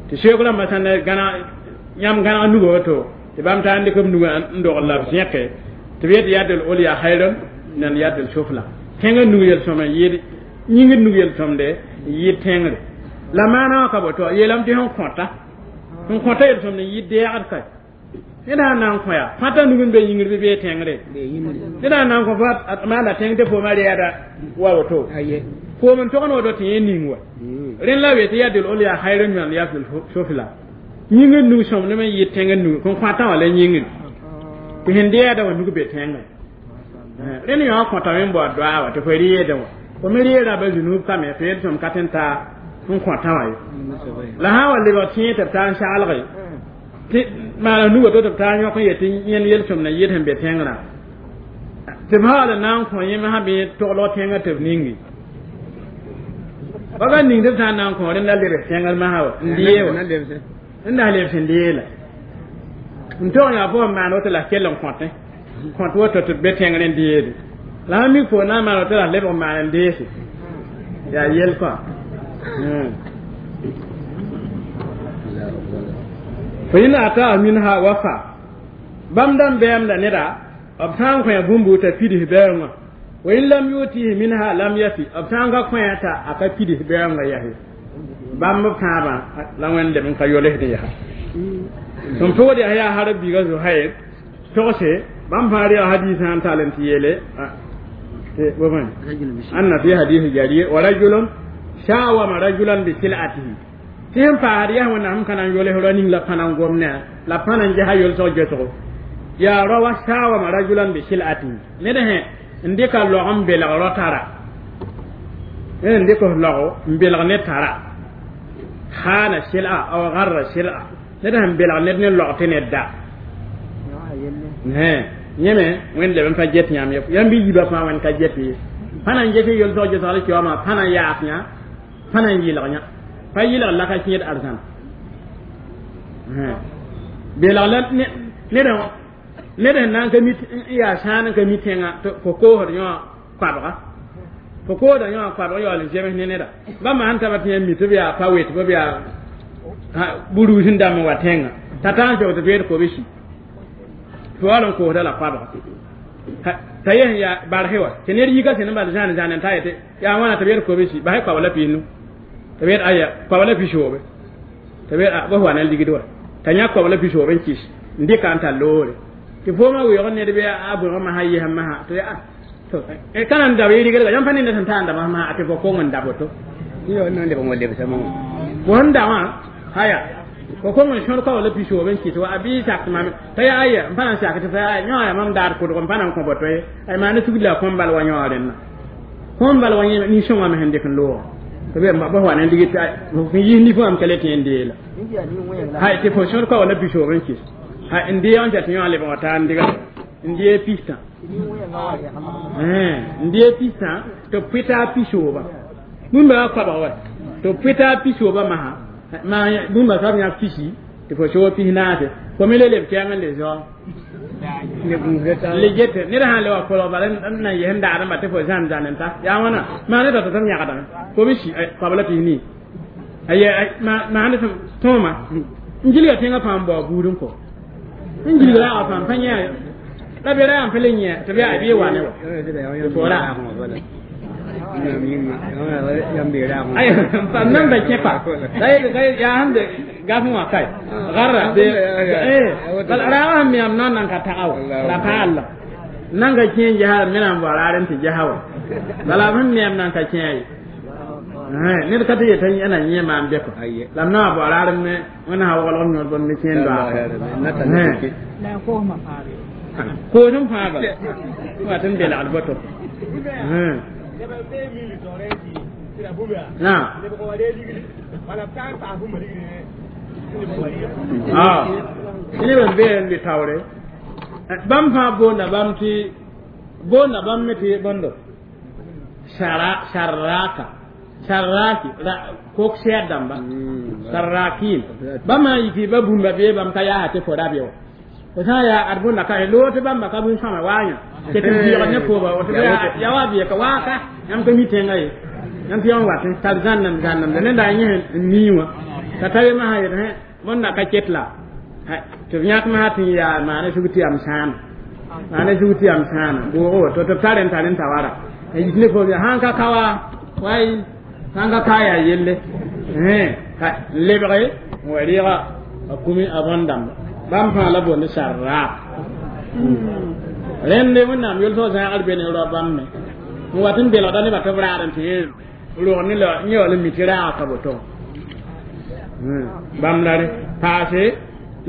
tɩ seook rãmbã sãn da gãna yãmb gãneg nuga woto tɩ bãmb taa n dɩk b nugã n dogl la b zẽke tɩ b yetɩ yadul ulya khayrun min yadul sufla tẽngr nug yel-sõm n yɩɩd yĩngr nug yel-sõmde n yɩɩd tẽngre la maana wã ka boto yeelame tɩ sẽn kõta yel-sõmd n yɩɩd deegd ka ned sã n na n kõ yaa fãta nug n be yĩngr bɩ bee tẽngre ned sã n na n kõ fo maanda tẽng tɩ fooma reɛda wa woto foom n togn woto tɩ yẽ ning wa rẽnd la we tɩ yadul ulya khayrun min yadul sufla yĩngr nug sõmdem n yɩɩd tẽngr nug kõn kõtã wã la yĩngr tɩ sẽn deɛda wã nug be tẽngre rẽnd yõ kõtame n baood doaa wa tɩ fo reedẽ wã fo me reera ba zunub kame tɩ yel sõm ka tɩ n taa n kõtã wã ye la sã n wa lebg tẽeg tɩ b taa n saglge tɩ maana nuga to tɩ b taa n yõk n yetɩ yẽnd yel-sõmd n yɩɩd sẽn be tẽngrã tɩ b haal n na n kõ yẽm sã bɩ toglg tẽngã tɩ b ningi ba ba ning tɩ b sã n na n kõ rẽnd la lebs tẽngr masã wa n dee wa n da lebs n dee la n tog yaa fo n maan woto la kell n kõtẽ kõt woto tɩ b be tẽngr n deede la sã mik fo na n maan woto la lebg maan n deese yaa yel kɔa fa in ata minha wafa bãmb dãmb bɛɛmda neda b sã n kõ bũmb t'a pids bɛɛngã wa in lam yutihi minha lam yafi b sã n ka kõ t'a a ka pids bɛɛngã yase bãmb b tãabã la wẽnd leb n ka yolsd yaa sẽn pʋgd yaa yaa harb biiga Zuhair togse bãmb fãa rea hadiisã n tall n tɩ yeele anna fi hadisi jarir wa rajulun shawama rajulan bi sil'atihi tɩ sẽn paasd yaa wẽnnaam ka na n yols ra ning la pãna n gom ne la pãna n ges yolsg gesgo yaa rawa shawama rajulan bi sil'atihi ned sẽ n dɩka log n belg ro tara ned n dɩk log n belg ne tara khana sil'a aw garra sil'a ned sẽn belg ned ne log tɩ ned da yẽme wẽnd leb n pa get yãmb ye yãmb bɩ yiibã fãa wẽnd ka get ye pãna n get yolsg gesg la kiaoomã pãna n yaas yã pãna n yɩlg yã pa yɩlg la ka kẽed arzãn belg la ned sẽn na n ka mi yaa sãan n ka mi tẽngã fo koosd yõ koabga fo koosda yõ koabg yaool n zems ne neda bãmba sẽn taba tɩ yãmb mi tɩ b yaa pa wet b yaa buruus n dãmb n wa tẽngã t'a taa n sog tɩ beed kobsi tɩ waal n koosda la koabga Ta yen ya barhewa tɩ ned yika sẽn bal zãan zãan n ta yetɩ yaa wãna tɩ b yet kobsi basɛ koabla pinu tɩ b yet aya koabla pisoobe tɩ b yet bas wa na ligd wa t'a yã koabla pisoobe n kɩs n dɩka n tar loore tɩ foomã weoog ned bɩ a bõeg masã yesã masã tɩ ka na n dab yɩrgdga yãmb pa nenda sẽn taa n da masã tɩ fo kong n da boto fo sẽn da wã haya fo kong n sõd koabla pisoobe n kɩs wa a bɩ sak mam t'a yaa aya n pa na n sak tɩ fa yaa yõ yaa mam daar kʋdg n pa na n kõ boto ye ay maana sugd la kõm bal wa yõ rẽnna kõm bal wa yẽ nin-sõngã me sẽn dɩk n loog tɩ b bas wa na n dig tɩ n yis nifã wãm ka le tẽ n deela hay tɩ fo sõd koabla pisoob n kɩs hay n deeg n tɩ yõ lebg taa n diga n dee pistã n dee pistã tɩ b pʋɩta a pisooba bũmba wa koabg wa tɩ b pʋɩta a pisooba masã bũmba soab yãk pisi tɩ fo soog pis naase fo me le leb kɛɛng n le zao le get ned sã n le wa kolg bala n na n yes n daadẽmba tɩ fo zãn zãn n ta yaa wãna maa ne tɩ b yãgdame fo b si koabla pis nii maa ne tõoma n gilga tẽngã fãa n bao buud n kɔ n gilg raagã fãa n pa yã la be ra yaa n pa le yẽ tɩ b yaa bɩ wa ne wa fo ra nan ba kẽ pa yaa sẽn de gaf wã kae garra raagã sẽn meam na n nan ka taga wa la paalla nan ka kẽ n ges me na n bao raar n tɩ gesa wa bala b sẽn meam nan ka kẽ ye ned ka tɩ yetã yã na yẽ maam bɛkɔ la m na wa bao raar me wẽnnaam sã waglg m yõd bõmb ne kẽen doaag koosem fãa bala wa tɩ n belgd boto naam neb n bee n be taoore bãmb fãa boonda bãmb tɩ boonda bãmb me tɩ bõndo sarraka sarraki kok sɛɛd dãmba sarrakin bãmb sã n yiki ba bũmba bee bãmb ka yaasa tɩ fo ra be wa fo sã n yaa ad bõnda ka loog tɩ bãmba ka bũn-sõama waayã tɩ tɩ biɩg ne pooba ya wa bɩ ka waaka yãmb ka mi tẽngã ye yãmb tɩ yãmb wat n tar zãnnem zãnnemda nenda a yẽ n mii wã t'a ta ye masã yet bõnda ka ket la tɩ b yãk masã tɩ n yaa maana sug tɩ yam sãana maana sug tɩ yam sãana bʋʋgo woto tɩ b tar n tar n ta wara n yik ne poob yaa sãn ka ka wa way sãn ka ka yaa yelle n lebge n wa rɩɩga a kumi a bõn-dãmba bãmb fãa la boond sarraak rẽnde wẽnnaam yʋls zãagr be ne rao bãmb me n wat n belgda nebã tɩ b raad n tɩ rog ne la yẽ wall n mi tɩ raaga ka boto bãmb la re paase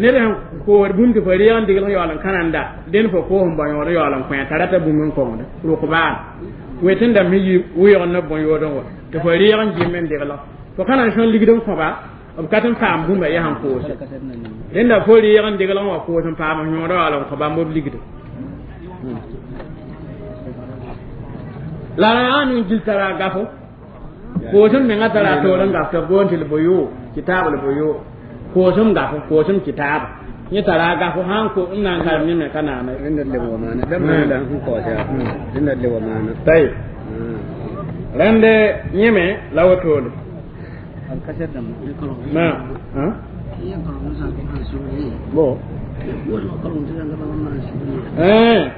ned sẽn koosd bũmb tɩ fo reeg n degl yaool n kãnanda dẽnd fo koos n bao yõod n yaool n kõ t'a rata bũmb n kongda rʋk-baal wet n dãmb yi wɩɩg ne bõn-yood n wa tɩ fo reeg n gem n degla fo ka na n sõn ligd n kõba b ka tɩ n paam bũmba yaa sẽn koose rẽnda fo reeg n degl n wa koos n paam yõod yaool n kõ bãmb b ligda la yaa nin gil tara gafo koosem menga tara toor n gaf tɩ b boond tɩ l-boyo kitaab l-boyo koosem gafo koosem kitaab yẽ tara gafo sãn ko n na n karem yẽ me ka naame tayb rẽnde yẽme la wotode ma bo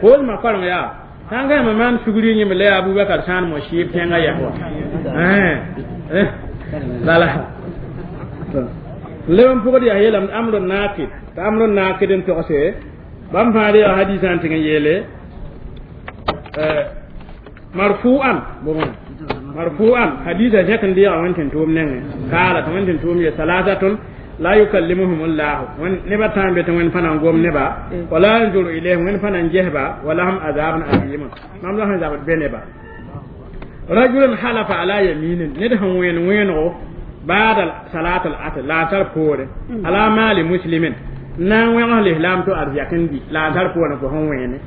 koosmã koreng yaa sãn ka yãmb maan sugri yẽmb la yaa Abubakar sãan mo sɩɩb tẽngã yɛs wa bala leb n pʋgd yaa yeelame amr nakid tɩ amr nakid n togse bãmb fãa reega hadisã n tɩg n yeele marfu'an marfu'an hadisa zẽk n deega wẽn tɩ tʋʋm nengẽ kaala tɩ wẽn tɩ tʋʋm ye salasatun la yukallimuhum llahu neba tãa n be tɩ wẽnd pa na n gom neba wala yanzuru ilayhim wẽnd pa na n gesba walahum azabun alim mam la sẽn zabd be neba rajulun halafa ala yaminin ned sẽn wẽen wẽenego bada salat al asr la tar poore ala mali muslimin na n wẽgs lislam to arzɛk n di la tar poore fo sẽn wẽene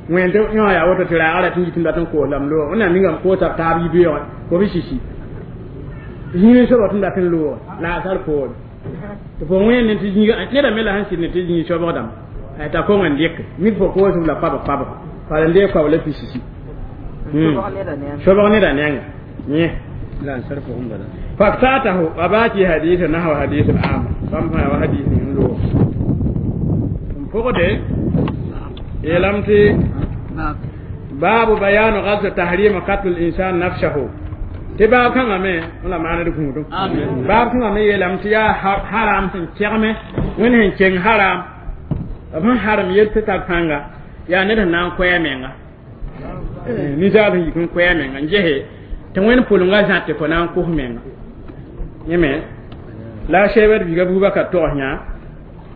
wẽen tɩ yõ yaa woto tɩ raagã ra tɩ n yit n dat n koos lame loog wẽnnaam ningame koosa b taab yibeoogẽ fo b sisi zĩig sobg tɩ n dat n loog la tar poore tɩ fo wẽen ne tɩ zĩiga neda me la sẽn sɩd ne tɩ zĩig sobg dãmba t'a kong n dɩk mik fo koosb la pabg pabg bala n deeg koab la pisisi sobg neda nengẽ yẽ faktatahu a baa tɩ hadisa nahwa hadis al am bãmb fãa wa hadis ning n loog n pʋgde yeelame tɩ Baabu bayanu ghazw tahrim qatl al-insan nafsahu. Tɩ baab kãngã me la maaned gũudum. Baab kãngã me yeelame tɩ yaa haram sẽn kegme wẽnd sẽn keng haram b sẽn harem yel tɩ tar pãnga yaa ned sẽn na n koɛ a menga ninsaal sẽn yik n koɛ a menga n gese tɩ wẽnd pʋlenga zã tɩ fo na n kos menga yẽ me la sebd biga Abubakar togs yã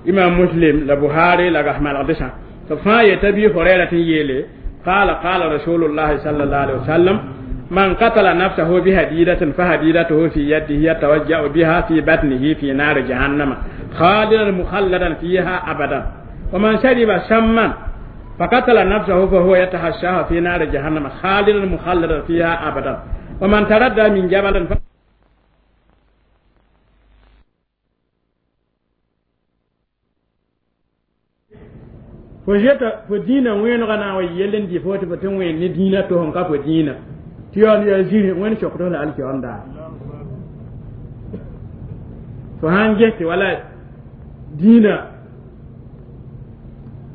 Imam Muslim la Buhari la gas malgdsã tɩ fãa yeta Abi Hurayra tɩ n yeele قال قال رسول الله صلى الله عليه وسلم من قتل نفسه بهديدة فهديدته في يده يتوجع بها في بطنه في نار جهنم خالدا مخلدا فيها أبدا ومن شرب سما فقتل نفسه فهو يتحشاها في نار جهنم خالدا مخلدا فيها أبدا ومن تردى من جبل fo zeta fo dĩinã wẽenegã na n wa yell n dɩ fo tɩ fo tɩ wẽen ne dĩinã to sẽn ka fo dĩinã tɩ yaool yaa zĩri wẽnd sokd la alkiyoom daar fo sãn ges tɩ wala dĩinã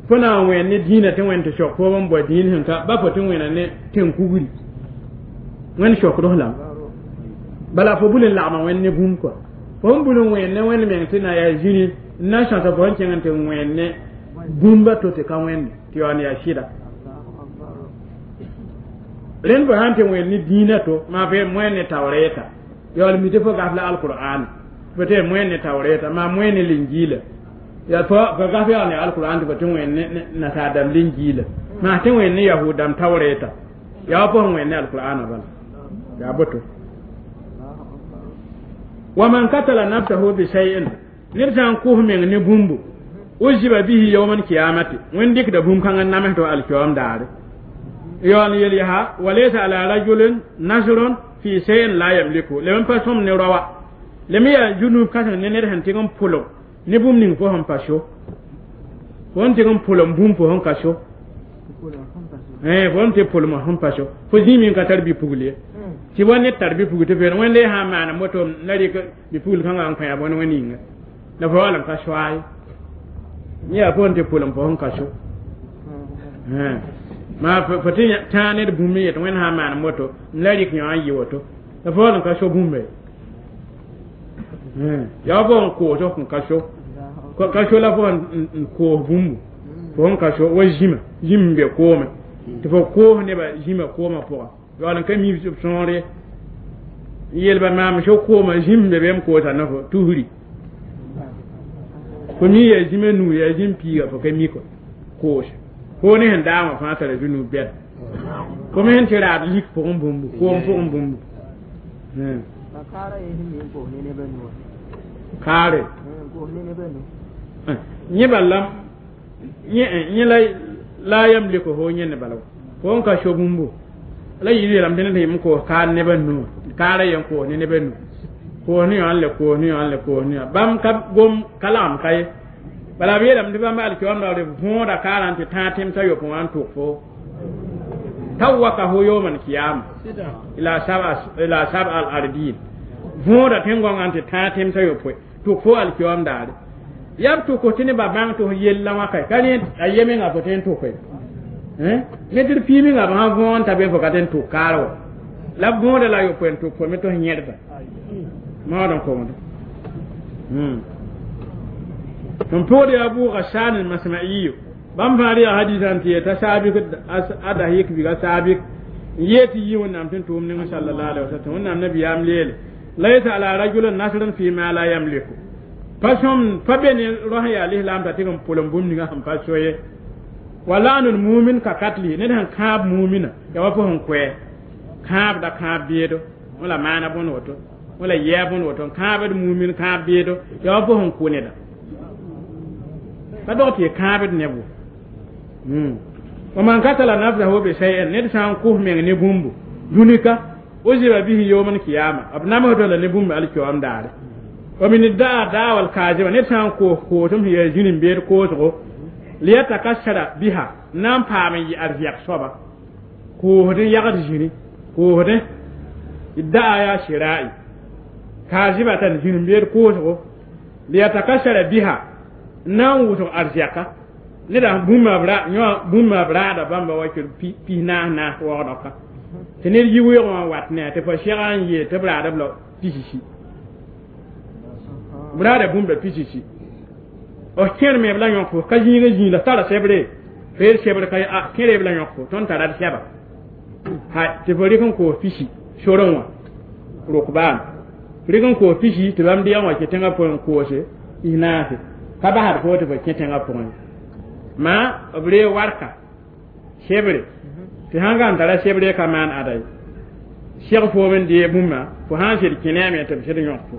fo na n wẽen ne dĩinã tɩ wẽnd tɩ sok fo n bao dĩin sẽn ka ba fo tɩ wẽna ne tẽn-kugri wẽnd sokd lame bala fo bul n lagma wẽnd ne bũmb kɔa fo n bul n wẽen ne wẽnd meng tɩ na yaa zĩri n na n sõsa fo sẽn kẽng n tɩ wẽen ne bũmba to tɩ ka wẽnde tɩ yaool yaa sɩda rẽnd fo sãn tɩ wẽnd ne dĩinã to maa fo moẽ ne taoorɛɛta yaool mi tɩ fo gaf la alqur'an fo tɩ moẽ ne taoorɛɛta maa moẽ ne linjiila yaa fo gaf yaool ne alqur'an tɩ fo tɩ wẽnd ne nasaar dãmb linjiila maa tɩ wẽnd ne yahud dãmb taoorɛɛta yaa wa fo wẽnd ne alqur'ana bala yaa boto wa man katala nafsahu bi shay'in ned sã n kʋs meng ne bũmbu uziba bihi yawmal qiyamati wẽnd dɩkda bũmb kãngã namsd alkiyom daare yaool yel yaa walaysa ala rajulin nasrun fi shay'in la yamliku lem n pa sõm ne raoa lem yaa junub kãseng ne ned sẽn tɩg n pʋlg ne bũmb ning fo sẽn pa so fo n tɩg n pʋlem bũmb fo sẽn ka so fo n tɩ pʋlem sẽn pa so fo zĩig n ka tar bipugl ye tɩ wa ned tar bipugl tɩ feere wẽnde sã n maana moto la rɩk bipugl kãngã n kõ bõn wẽnd yĩnga la fo wall n ka soa ye yã fo n tɩ pʋlem fo sẽn ka so maa fo tɩ tãag ned bũmb n yet wẽnd sã n maan moto n la rɩk yõ n yɩ woto la fo wall n ka so bũmba ye yaa fo n koos f ka so ka so la fo n koos bũmbu fo sẽn ka so wa zĩma zĩm n be koome tɩ fo koos nebã zĩma koomã pʋga yaool n ka mi sõor ye n yeelba maam so kooma zĩm n be be m koosa ne fo tusri fo mi yaa zĩma nuu yaa zĩm piiga fo ka mi kɔ koos fo ne sẽn daamã fãa tara zũnuu bɛd fo me sẽn tɩ raad lik pʋgẽ bũmbu koom pʋgẽ bũmbu kaare yẽ bala yẽ la yamliku fo yẽ ne bala fo n ka so bũmbu la yɩ yeelame tɩ ned sẽn yem koos kaar nebã nu kaara yen koos ne nebã nu koos ne yõ n le koos ne yõ n le koos ne yõ bãmb ka gom ka lagem ka ye bala b yeelame tɩ bãmb alkiyoom raoore võoda kaarã n tɩ tãag tẽmsã yopoe wã n tʋk fo tawakahu yawmal qiyama ila sab'a al ardin võoda tẽn-gõngã n tɩ tãag tẽmsã yopoe tʋk fo alkiyoom daare yaa b tʋk tɩ nebã bãng tɩ f yella wã kae ka rẽ a yemenga fo tõe n tʋke ne tɩ d piimenga b sã võog n ta be fo ka tõe n tʋk kaar wa la b võoda la yopoe n tʋk fo me tɩ f yẽdba maood n kongdo n pʋgd yaa Abu Ghassan al-Masma'iyu bãmb fãa yaa hadisã n tɩ yeta saabik ada yik biga saabik n yee tɩ yi wẽnnaam tɩ n tʋʋm neng sallallahu alaihi wasallam wẽnnaam nabiyaam leele laysa ala rajulin nasrun fi ma la yamliku pa sõm pa be ne rao sẽn yaa lislaam t'a tɩg n pʋlem bũmb ninga sẽn pa so ye wa la'nul mumin ka katli ned sẽn kãab mumina yaa wa fo sẽn koɛ kãabda kãab beedo wala maana bõn woto wala yɛa bõn woto n kãabd mumin kãab beedo yaa wa fo sẽn kʋ neda ka dog tɩ kãabd neb wo wa man katala nafsahu bi shay'in ned sã n kʋs meng ne bũmbu dũnika uziba bihi yawmal qiyama b namsd la ne bũmb alkiyoom daare wa min daa daawal kaaziba ned sã n koos koosem sẽn yaa zĩni n beed koosgo liyatakassara biha na n paam n yɩ arzɛk soaba koosd n yagd zĩri koosdẽ daa yaa sɩra'i kaazibatan zĩni n beed koosgo liyatakassara biha n na n wʋsg arzɛka Neda bũmba b ra yõ bũmba b raada bãmba wa kɩr pis naas naas waoodg ka tɩ ned yi weoogẽ wã wat ne a tɩ fo sɛga n yeel tɩ b raada b la pisi b raada bũmba pisi b kẽer me b la yõk fo ka zĩigã zĩig la tara sebre feer sebre ka a kẽere b la yõk fo tõnd tara d sɛba ha tɩ fo rɩk n koos pisi sorẽ wã rʋkbaan rɩk n koos pisi tɩ bãmb deeg wã kẽ tẽngã pʋgẽ n koose pis naase ka basd fo tɩ fo kẽ tẽngã pʋgẽ ma b ree warka sebre tɩ sãn ka n tara sebre ka maan ada ye seg foom n dee bũmba fo sãn sɩd kẽ ne a me tɩ b sɩd yõk fo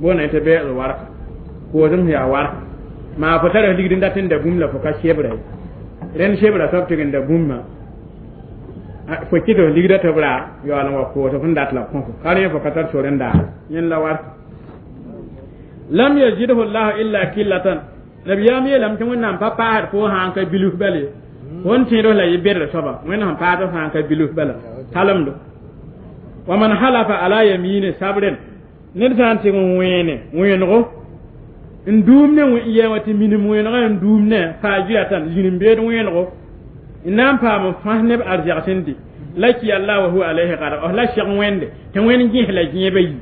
boona tɩ beoog warka koosem sẽn yaa warka maa fo tara ligd n dat n da bũmb la fo ka sebra ye rẽnd sebra soab tɩg n da bũmba fo kɩt f ligda tɩ b ra yaool n wa koos f n dat la b kõ fo ka rẽ fo ka tar sor n daar yẽnd la warka lam yazidhu llahu illa killatan nabiyaam yeelame tɩ wẽnnaam pa paasd fo sã n ka bilf bala ye fo n tẽed la yɩ bedr soaba wẽnd sẽn paasd sã n ka bilf bala talemdo wa man halafa ala yamine sabren ned sã n tɩg n wẽene wẽenego n duum ne yɛ wã tɩ minim wẽenegã n duum ne faajiratan zĩrim-beed wẽenego n na n paam n fãs neb arzɛgs n dɩ laki allah wa huwa alayhi gadab la seg wẽnde tɩ wẽnd gẽs la gẽebã yi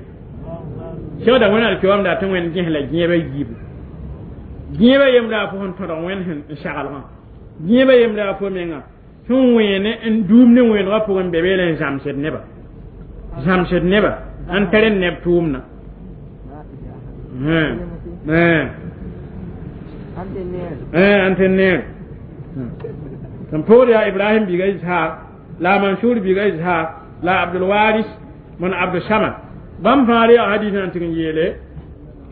segda wẽnd alkiwaamda tɩ wẽnd gẽs la gẽebã yiibu gẽebã yembra a fo sẽn tõdg wẽnd sẽn n saglgã gẽebã yembra a fo menga sẽn wẽene n duum ne wẽenegã pʋgẽ n be beele n zãmsd neba zãmsd neba n tar n neb tʋʋmdã n tɩ neer sẽn pʋgd yaa Ibrahim biiga Ishaq la Mansur biiga Ishaq la Abdulwaris mon Abdusamad bãmb fãa yaa hadis n tɩg n yeele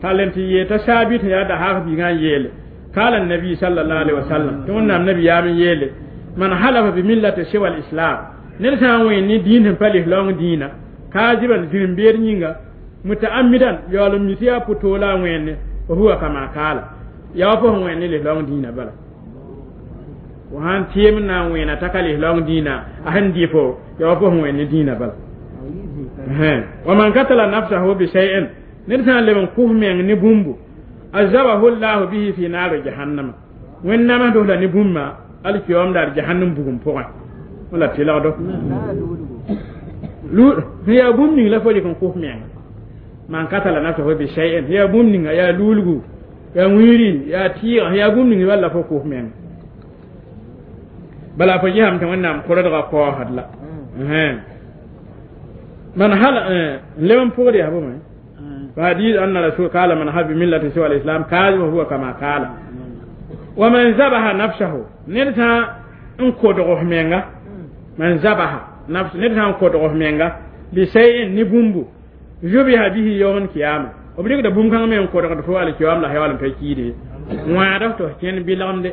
tall n tɩ yeel t'a saabit yaa dahak biigã n yeele قال النبي صلى الله عليه وسلم tɩ wẽnnaam nabiyaam n yeele man halafa bi millati siwa lislam ned sã n wẽen ne dĩin sẽn pa lislaong dĩinã kaaziban zĩrim-beed yĩnga mutaamidan yaool n mi tɩ yaa pʋ-toola a wẽenne fa huwa kama kaala yaa wa fo sẽn wẽen ne lislaong dĩinã bala fo sãn tɩɩm n na n wẽena t'a ka lislaong dĩinã a sẽn dɩ fo yaa wa fo sẽn wẽen ne dĩinã bala wa man katala nafsahu bi shay'in ned sã n leb n kʋs meng ne bũmbu azabahu llahu bihi fi naari jahannama wẽnd namsd la ne bũmba alkiyoom daar jahannam bugum pʋgẽ wala tɩlgdo sẽn yaa bũmb ning la fo rɩk n kʋs menga man katala nafsahu bi shay'in yaa bũmb ninga yaa luulgu yaa wĩiri yaa tɩɩga sẽn yaa bũmb ning bal la fo kʋs menga bala fo gesame tɩ wẽnnaam koredgã kaoosd la man hala n leb n pʋgd yaa bõme فحديث أن الرسول قال من حب ملة سوى الإسلام كاذب وهو كما قال ومن ذبح نفسه نرتا ان كودغ منغا من ذبح نفس نرتا ان كودغ منغا بشيء نبومبو ذبح به يوم القيامة وبريك ده بوم كان من كودغ فو على القيامة لا حيوان تكيدي وعده تو كين بيلغم دي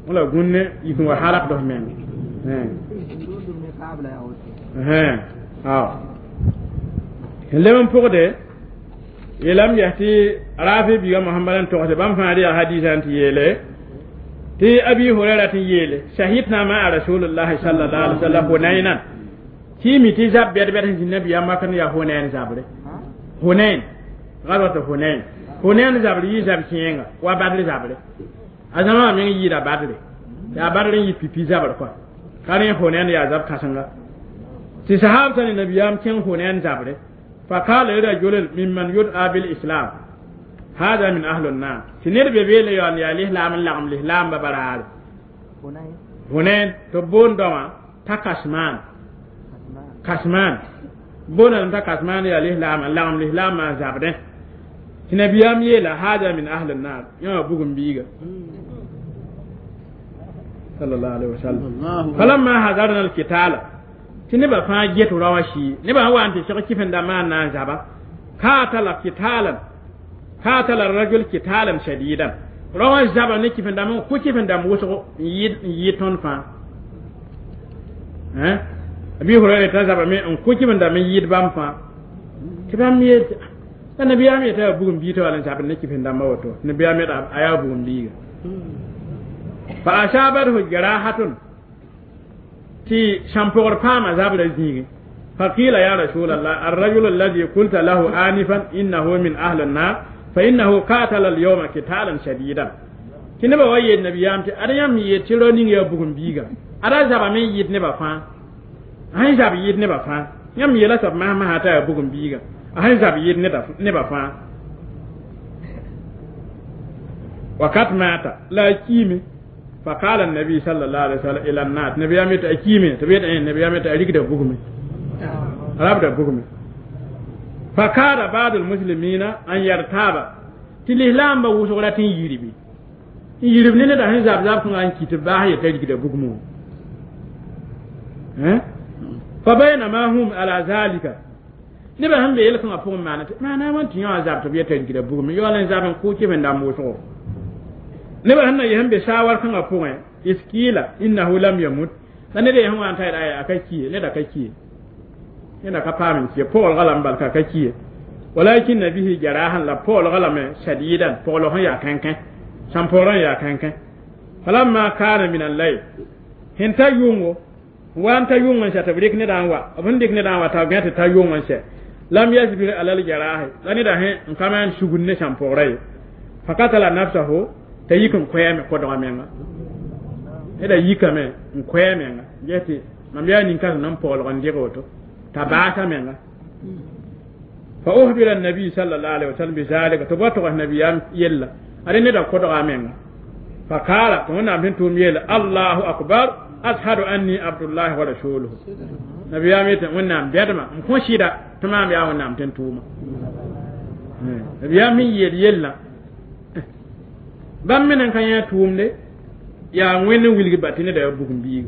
ولا غن يكون حالك ده منغا ها ها leb n pʋgde yeelame yaa tɩ rafi biiga mohamad n togse bãmb fãa yaa hadisa n tɩ yeele tɩ abi hurɛra tɩ yeele shahidna maa rasulullahi sallallahu alaihi wasallam hunaynan tɩ mi tɩ zab bɛd-bɛd sẽn zĩ nabiyaam makr n yaa hunayn zabre hunayn gazwat hunayn hunayn zabre yɩ zab kẽenga wa badr zabre a zãma wã meng yɩɩda badre yaa badr n yɩ pipi zabr kɔa ka rẽ hunayn yaa zab kãsenga tɩ sahab tã ne nabiyaam kẽng hunayn zabre فقال رجل ممن يدعى بالإسلام هذا من أهل النار تنير ببيل يوان يا الإسلام لغم الإسلام ببرار هنين تبون دوما تكسمان كسمان بون تكسمان يا الإسلام لغم الإسلام ما زابده تنبيام يلا هذا من أهل النار يوم بوغم بيغا صلى الله عليه وسلم فلما حضرنا القتال tɩ nebã fãa get raoã sii nebã sẽn wa n tɩ seg kɩf-n-dãmbã n na n zaba katala kitalan katala rajul kitalan shadidan raoã zaba ne kɩf-n-dãmb n kʋ kɩf-n-dãmb wʋsgo n yɩ tõnd fãa abi hurayra t'a zaba me n kʋ kɩf-n-dãmb n yɩɩd bãmb fãa tɩ bãmb yeel la nabiyaam yeta yaa bugum bii tɩ wala n zabd ne kɩf-n-dãmbã woto nabiyaam yeta a yaa bugum biiga fa asabathu jarahatun tɩ sãn-pʋgr paama zabra zĩigẽ فقيل يا رسول الله الرجل الذي قلت له آنفا إنه من أهل النار فإنه قاتل اليوم قتالا شديدا. Tɩ nebã wa yeel nabiyaam tɩ ad yãmb yeel tɩ rao ning yaa bugum biiga ada zabame n yɩɩd nebã fãa a sẽn zab yɩɩd nebã fãa yãmb yeela soab masã t'a yaa bugum biiga a sẽn zab yɩɩd nebã fãa wakat maata la a kiime فقال النبي صلى الله عليه وسلم الى الناس نبي امت اكيمه تبيت نبي امت اريك ده بغمي رب ده بغمي فكاد بعض المسلمين ان يرتاب تلهلام بوسغراتين يربي يربي ne da hin zab zab kun an kiti ba ya tari da bugmu eh fa bainama hum ala zalika ne ba han be yel kan afun mana mana man tin ya zab to bi tari da bugmu yo lan zaban ko ke ben da mu so ne ba hanna yehen be shawar kan afun iskila innahu lam yamut dan ne da yehen wan tay da aka kiye ne da ka kiye ne da ka famin kiye pol galam bal ka ka kiye walakin nabihi jarahan la pol galam shadidan pol hon ya kankan samporon ya kankan falamma kana min al-layl hinta yungo wanta yungo sa tabrik ne dan wa abun dik ne dan wa ta gata ta yungo sa lam yasbir alal jarahi lani da hen kaman sugun ne samporai fakatala nafsahu ta yikin koyame ko do menga eda yikame koyame nga jeti mam ya nin kan nan pol gon digoto ta baata menga fa ukhbira an-nabi sallallahu alaihi wasallam bi zalika to an-nabi yella are ne da kodoga menga fa kala to wona bin tum yela Allahu akbar ashhadu anni abdullahi wa rasuluhu nabiya mi ta wona bedma ko shida tamam ya wona ten tuma nabiya mi yel yella bam menen kan ya tumde ya ngene wilgi batine da bugum bi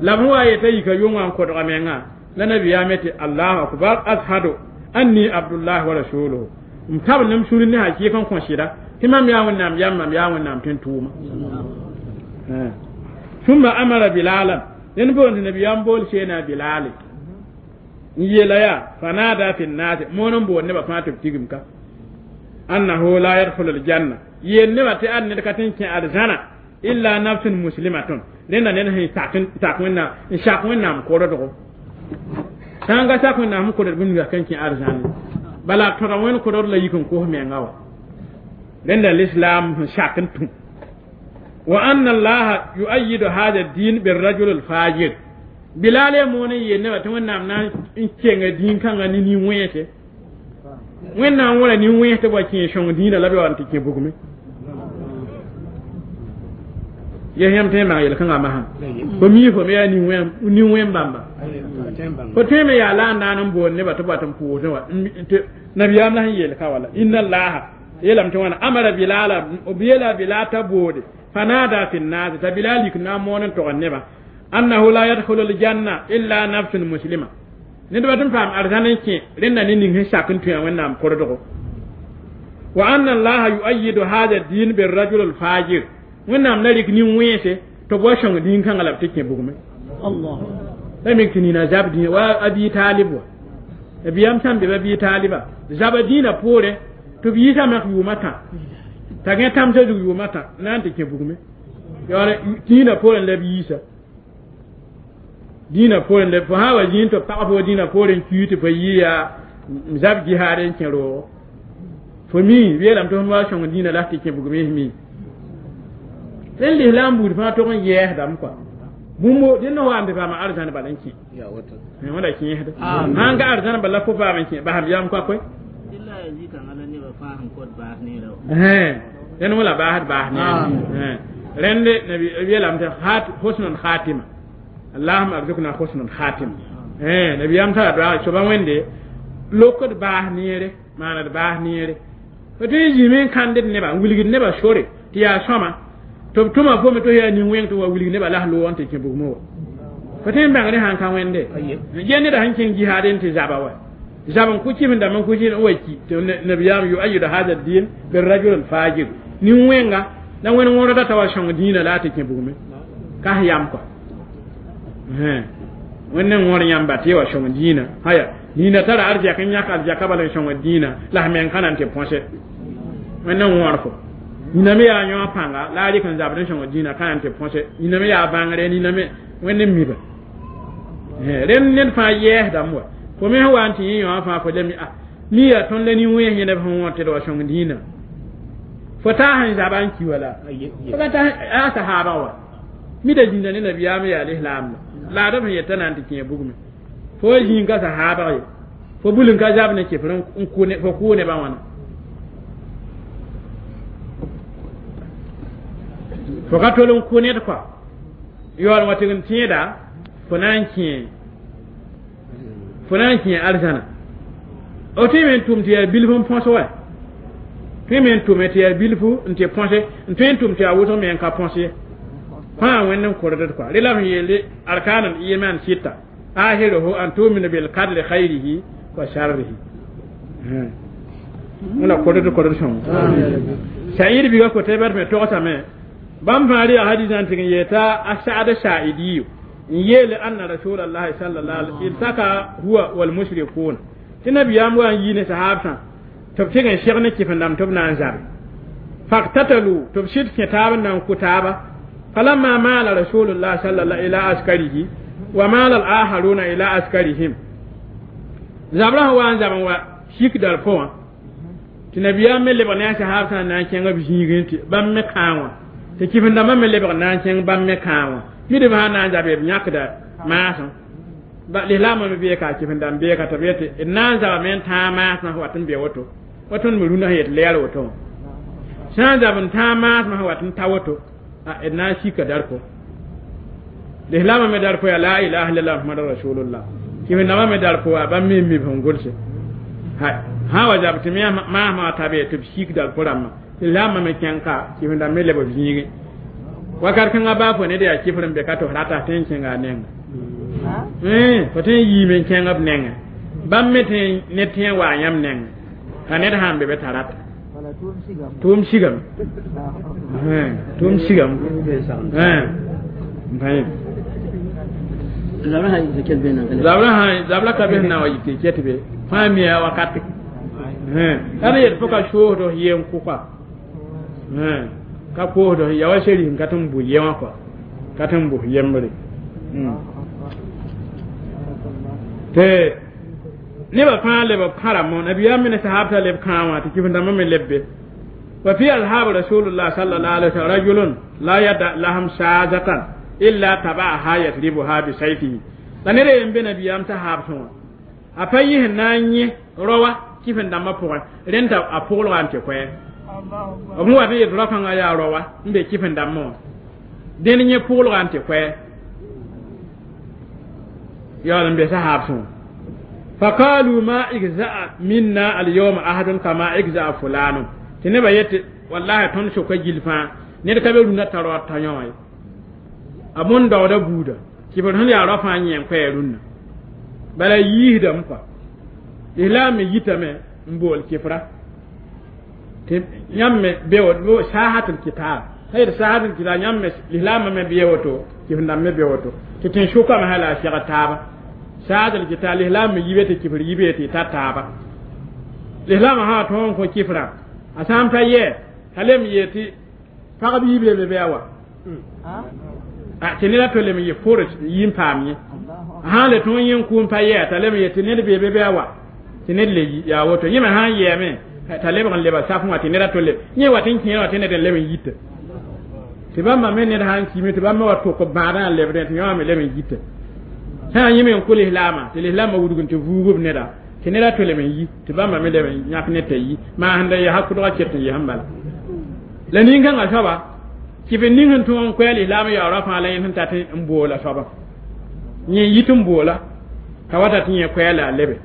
la huwa yata yika yonga kodoga menga la nabiya mi ta Allahu akbar ashhadu anni abdullahi wa rasuluhu mtab nam suri ne hakikan kon shida imam ya wannan ya mam ya wannan tun tuma thumma amara bilalan yen bo nabi yan bol shena bilal yela ya fanada fi nas monon bo ne ba fata tigim ka annahu la yadkhulu al janna yen ne ba ta an ne ka tin kin arzana illa nafsun muslimatun lena ne hin takin takin na shakun na ko do tanga sakun na mu ko do bin ga kan kin arzana bala tora wen ko do la yikin ko me ngawa لأن الإسلام شاكنتم وأن الله يؤيد هذا الدين بالرجل الفاجر بلال موني ينبا تمنى من إن دين كان ني ويته وين ولا ني ويته با كين شون دين لا بي وانت كين بوغمي يهم تيما يل كان ما ko mi fo me ya ni wen ni wen bamba ko teme ya la nan bo ne ba to ba tan pu to wa nabiyam la yel ka wala inna allaha yelam to wana amara bilala obiyela bilata bode fanada fi nas ta bilali kuna monon to neba annahu la yadkhulu al janna illa nafsun muslima ne do batun fam arzanan ke rinna ni nin shakin tuya wannan kordogo wa anna allaha yu'ayyidu hadha ad-din bir rajul al fajir wannan narik ni wese to bo shon din kan alab take bugume Allah sai min kini na zabdi wa abi talib wa abiyam sam be abi taliba zabadina pore to bi yisa mak yumata ta ga tam se yumata nan te ke bugume yore dina poren le bi yisa dina poren le fa wa jin to pa fo dina poren kiite fa yiya zab jiharen kero fo mi welam to wa shon dina la te ke bugume mi sen l'islam bud fa to kon yehdam quoi bumbo dinno wa ambe fa ma arzana balanki ya wata ne wala ki yehda hanga arzana bala fo fa man ki ba ham yam quoi koy ren wala bahat bah ne rende nabi welam ta hat husnul khatima allahumma arzuqna husnul khatima nabi yam ta do so ban wende lokod bah nere mana bah nere to ti min kande ne ba wulgi ne ba shore ti ya soma to tuma fo me to ya ni wen to wa wulgi ne ba lah lo wonte ke bugmo ko tin bang ne han kan wende jenne da hankin jihaden ti zaba wa zaban kuci min da man kuci ne waki to nabiyam yu ayyudu hadha ad-din bir rajul al-fajir ni wenga dan wen woro da tawa shon dina la ta ke bugume ka yam ko wannan wor yam ba te wa shon dina haya dina tara arja kan ya ka arja ka bala shon dina la men kanan te ponse wannan wor ko ni me ya nyo panga la ri kan zaban shon dina kanan te ponse ni me ya bangare ni me wannan mi ba ren nen fa ye da mo ko me wa anti yin fa fo lemi a ni ya ton le ni wen yene fa won te do shon dina Fo taa sẽn zaba n ki wala fo ka ta a sahaba wa mida zĩnda ne nabiyaam yaa lislaam la laadb sẽn yeta na n tɩ kẽ bugme fo zĩig ka sahaabg ye fo bul n ka zab ne kɩfr n fo kʋʋ nebã wãna fo ka tol n kʋ ned kɔa yaool wã tɩg n tẽeda fo na n kẽ arzãna f tõe me n tʋm tɩ yaa bilf n põs wa tõe me n tʋme tɩ yaa bilfu n tɩ põse n tõe n tʋm tɩ yaa wʋsg me n ka põs ye fãa wẽnd n kordd kɔa rela sẽn yeele arkan al iman sita ahiruhu an tumina bil qadri khayrihi wa sharrihi wẽna kordd kordg sõng sa'id biga kote bat me togsame bãmb fãa rɩ hadisã n tɩg n yeeta a sa'd sa'idiyu n yeele anna rasulallahi sallallahu alaihi iltaka huwa wal mushrikun tɩ nabiyaam wa n yi ne sahabsã tɩ b tɩg n seg ne kɩf-n-dãmb tɩ b na n zabe faktatalu tɩ b sɩd kẽ taab n na n kʋ taaba falamma maala rasulullah sallallahu ila askarihi wa maala al-akharuna ila askarihim zabrã sẽn wa n zab n wa sik dal pʋgã tɩ nabiyaam me lebg ne a sahabsã n na n kẽng b zĩigẽ tɩ bãmb me kãa wã tɩ kɩf-n-dãmbã me lebg n na n kẽng bãmb me kãa wã midb sã na n zabe b yãkda maasẽ lislaamã me beeka a kɩf-n-dãmb beeka tɩ b yetɩ d na n zabame n tãag maasmã sẽn wat n be woto wa tõnd me rũndã sẽn yet lɛɛr woto wã sã n zab n tãag maasmã sẽn wat n ta woto d na n sika darko lislaamã me darko yaa la ilaha illallah muhammadu rasulullah kɩf-n-dãmbã me darko waa bãmb me n mib sẽn gʋlse sã wa zab tɩ maasmã wa ta be tɩ b sik darko rãmbã lislaamã me kẽng ka kɩf-n-dãmb me leb b zĩigẽ wakat kãngã baa fo ned yaa kɩfr n be ka tɩ f rata tõe n kẽnga a nenga fo tõe n yiime n kẽng b nengẽ bãmb me tõe ned tẽ n waa yãmb nengẽ ka ned sã n be be t'a rata tʋʋm sigame tʋʋm sigame zabra ka bes na wa yik tɩ ket be fãa mia wakate ad yet fo ka soosd f yen kʋka ka koosd ya wa seri n ka tɩ n bʋ ye wã kɔa ka tɩ n bʋ yembre tɩ nebã fãa leb b kãrame nabiyaam me ne sahabtã leb kãa wã tɩ kɩf-n-dãmbã me leb be wa fi ashab rasulullah sallallahu alaihi wasallam rajulun la yada lahum saazatan illa tabaaha yasribuha bi sayfihi la ned yen be nabiyaam sahabsẽ wã a pa yɩs n na n yẽ raoa kɩf-n-dãmbã pʋgẽ rẽnd t'a a pʋglga n tɩ koɛɛ b wat n yet rao-kãngã yaa raoa n be kɩf-n-dãmbã wã dẽnd yẽ pʋglga n tɩ koɛɛ yaool n be sahabsẽ wã فقالوا ما إجزاء منا اليوم أحد كما إجزاء فلان tɩ nebã yetɩ wallahi tõnd soka gill fãa ned ka be rũndã t'a raood t'a yõ wã ye a bõn daooda buuda kɩfr sẽn yaa rao fãa yẽ n koɛɛ rũnnã bala yiisdame kɔa lislaam me yitame n bool kɩfra tɩ yãmb me be saahatul kitab sã yet saahatul kitab yãmb me lislaamã me bee woto kɩf-n-dãmb me be woto tɩ tẽn sʋkame sã la a seg taaba saahatul kitab lislaam me yibe tɩ kɩfr yibe tɩ ta taaba lislaamã sã wa tõog n kõ kɩfrã a sã n pa yɛ t'a lem yee tɩ pagb yibe be bɩ a wa tɩ ned a to lem n yɩ fors n yi n paam yẽ a sã n le tõog yẽ n kʋ n pa yɛ t'a lem yee tɩ ned bee be bɩ a wa tɩ ned le yaa woto yẽ me sã n yɛɛme t'a lebg n leba saf wã tɩ ned a to leb yẽ wat n kẽer wã tɩ ned n leb n yita tɩ bãmba me ned sã n kime tɩ bãmb me wa tʋk b bãadã n lebdẽ tɩ yõ me leb n yita sã n yẽ me n kʋ lislaamã tɩ lislaamã wudg n tɩ vuug b neda tɩ ned a to leb n yi tɩ bãmba me leb n yãk ned t'a yi maa sẽn da yaa kʋdgã ket n yesẽ bala la nin-kãngã soaba kɩf n ning sẽn tõog n koɛɛ lislaam yaoorã fãa la yẽ sẽn tat n boola soaba yẽ yit n boola ka wata tɩ yẽ koɛɛ la a lebe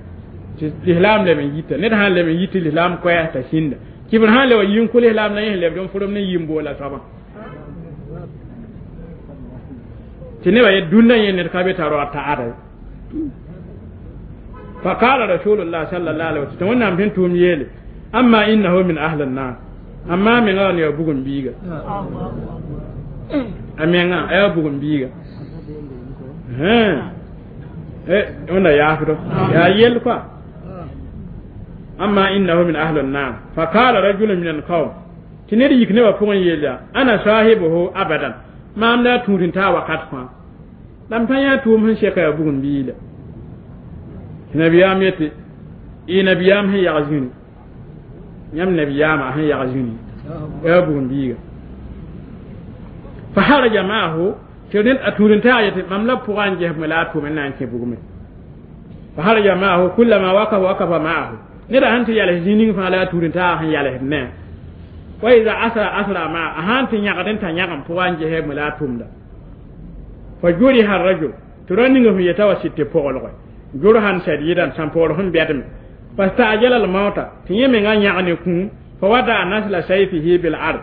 tɩ lislaam leb n yita ned sã n leb n yit tɩ lislaam koɛɛ t'a sĩnda kɩfr sã n le wa yi n kʋ lislaam la yẽ sẽn lebd n fʋrem ne yi n boola soaba tɩ nebã yet dũnna yẽ ned ka be t'a raood t'a ada فقال رسول الله صلى الله عليه وسلم wẽnnaam sẽn tʋʋm yeele amma innahu min ahli nnar amma mengã wa ne ya bugum biiga a mengã a yaa bugum biiga wẽnda yaafdo yaa yell kɔa amma innahu min ahli nnar faqala rajulun min alqawm tɩ ned yik nebã pʋgẽ yeel yaa ana sahibuhu abadan maam la a tũud n taa wakat fãa la m pa yã tʋʋm sẽn sɛka yaa bugum biila tɩ nabiyaam yetɩ y nabiyaam sẽn yag zĩni yãmb nabiyaamã sẽn yag zĩni Yaa bugum biiga fa haraja maahu tɩ rẽnd a tũud-n-taag yetɩ mam la pʋga n ges la a tʋʋm n na n kẽ bugmẽ fa haraja maahu kullama wakafa wakafa maahu neda sẽn tɩ yals zĩ ning fãa la a tũud-n-taag sẽn yalsd ne wa ida asra asra maa a sãn tɩ yãgd n ta yãgem pʋga n ges la a tʋmda fa juriha rajul tɩ rao ninga sẽn yeta wa sɩd tɩ poglge jurhan sadiidan sãn pogl sẽn bɛdme fastajala almauta tɩ yẽ menga yãg ne kũum fa wada nasla sayfihi bil ard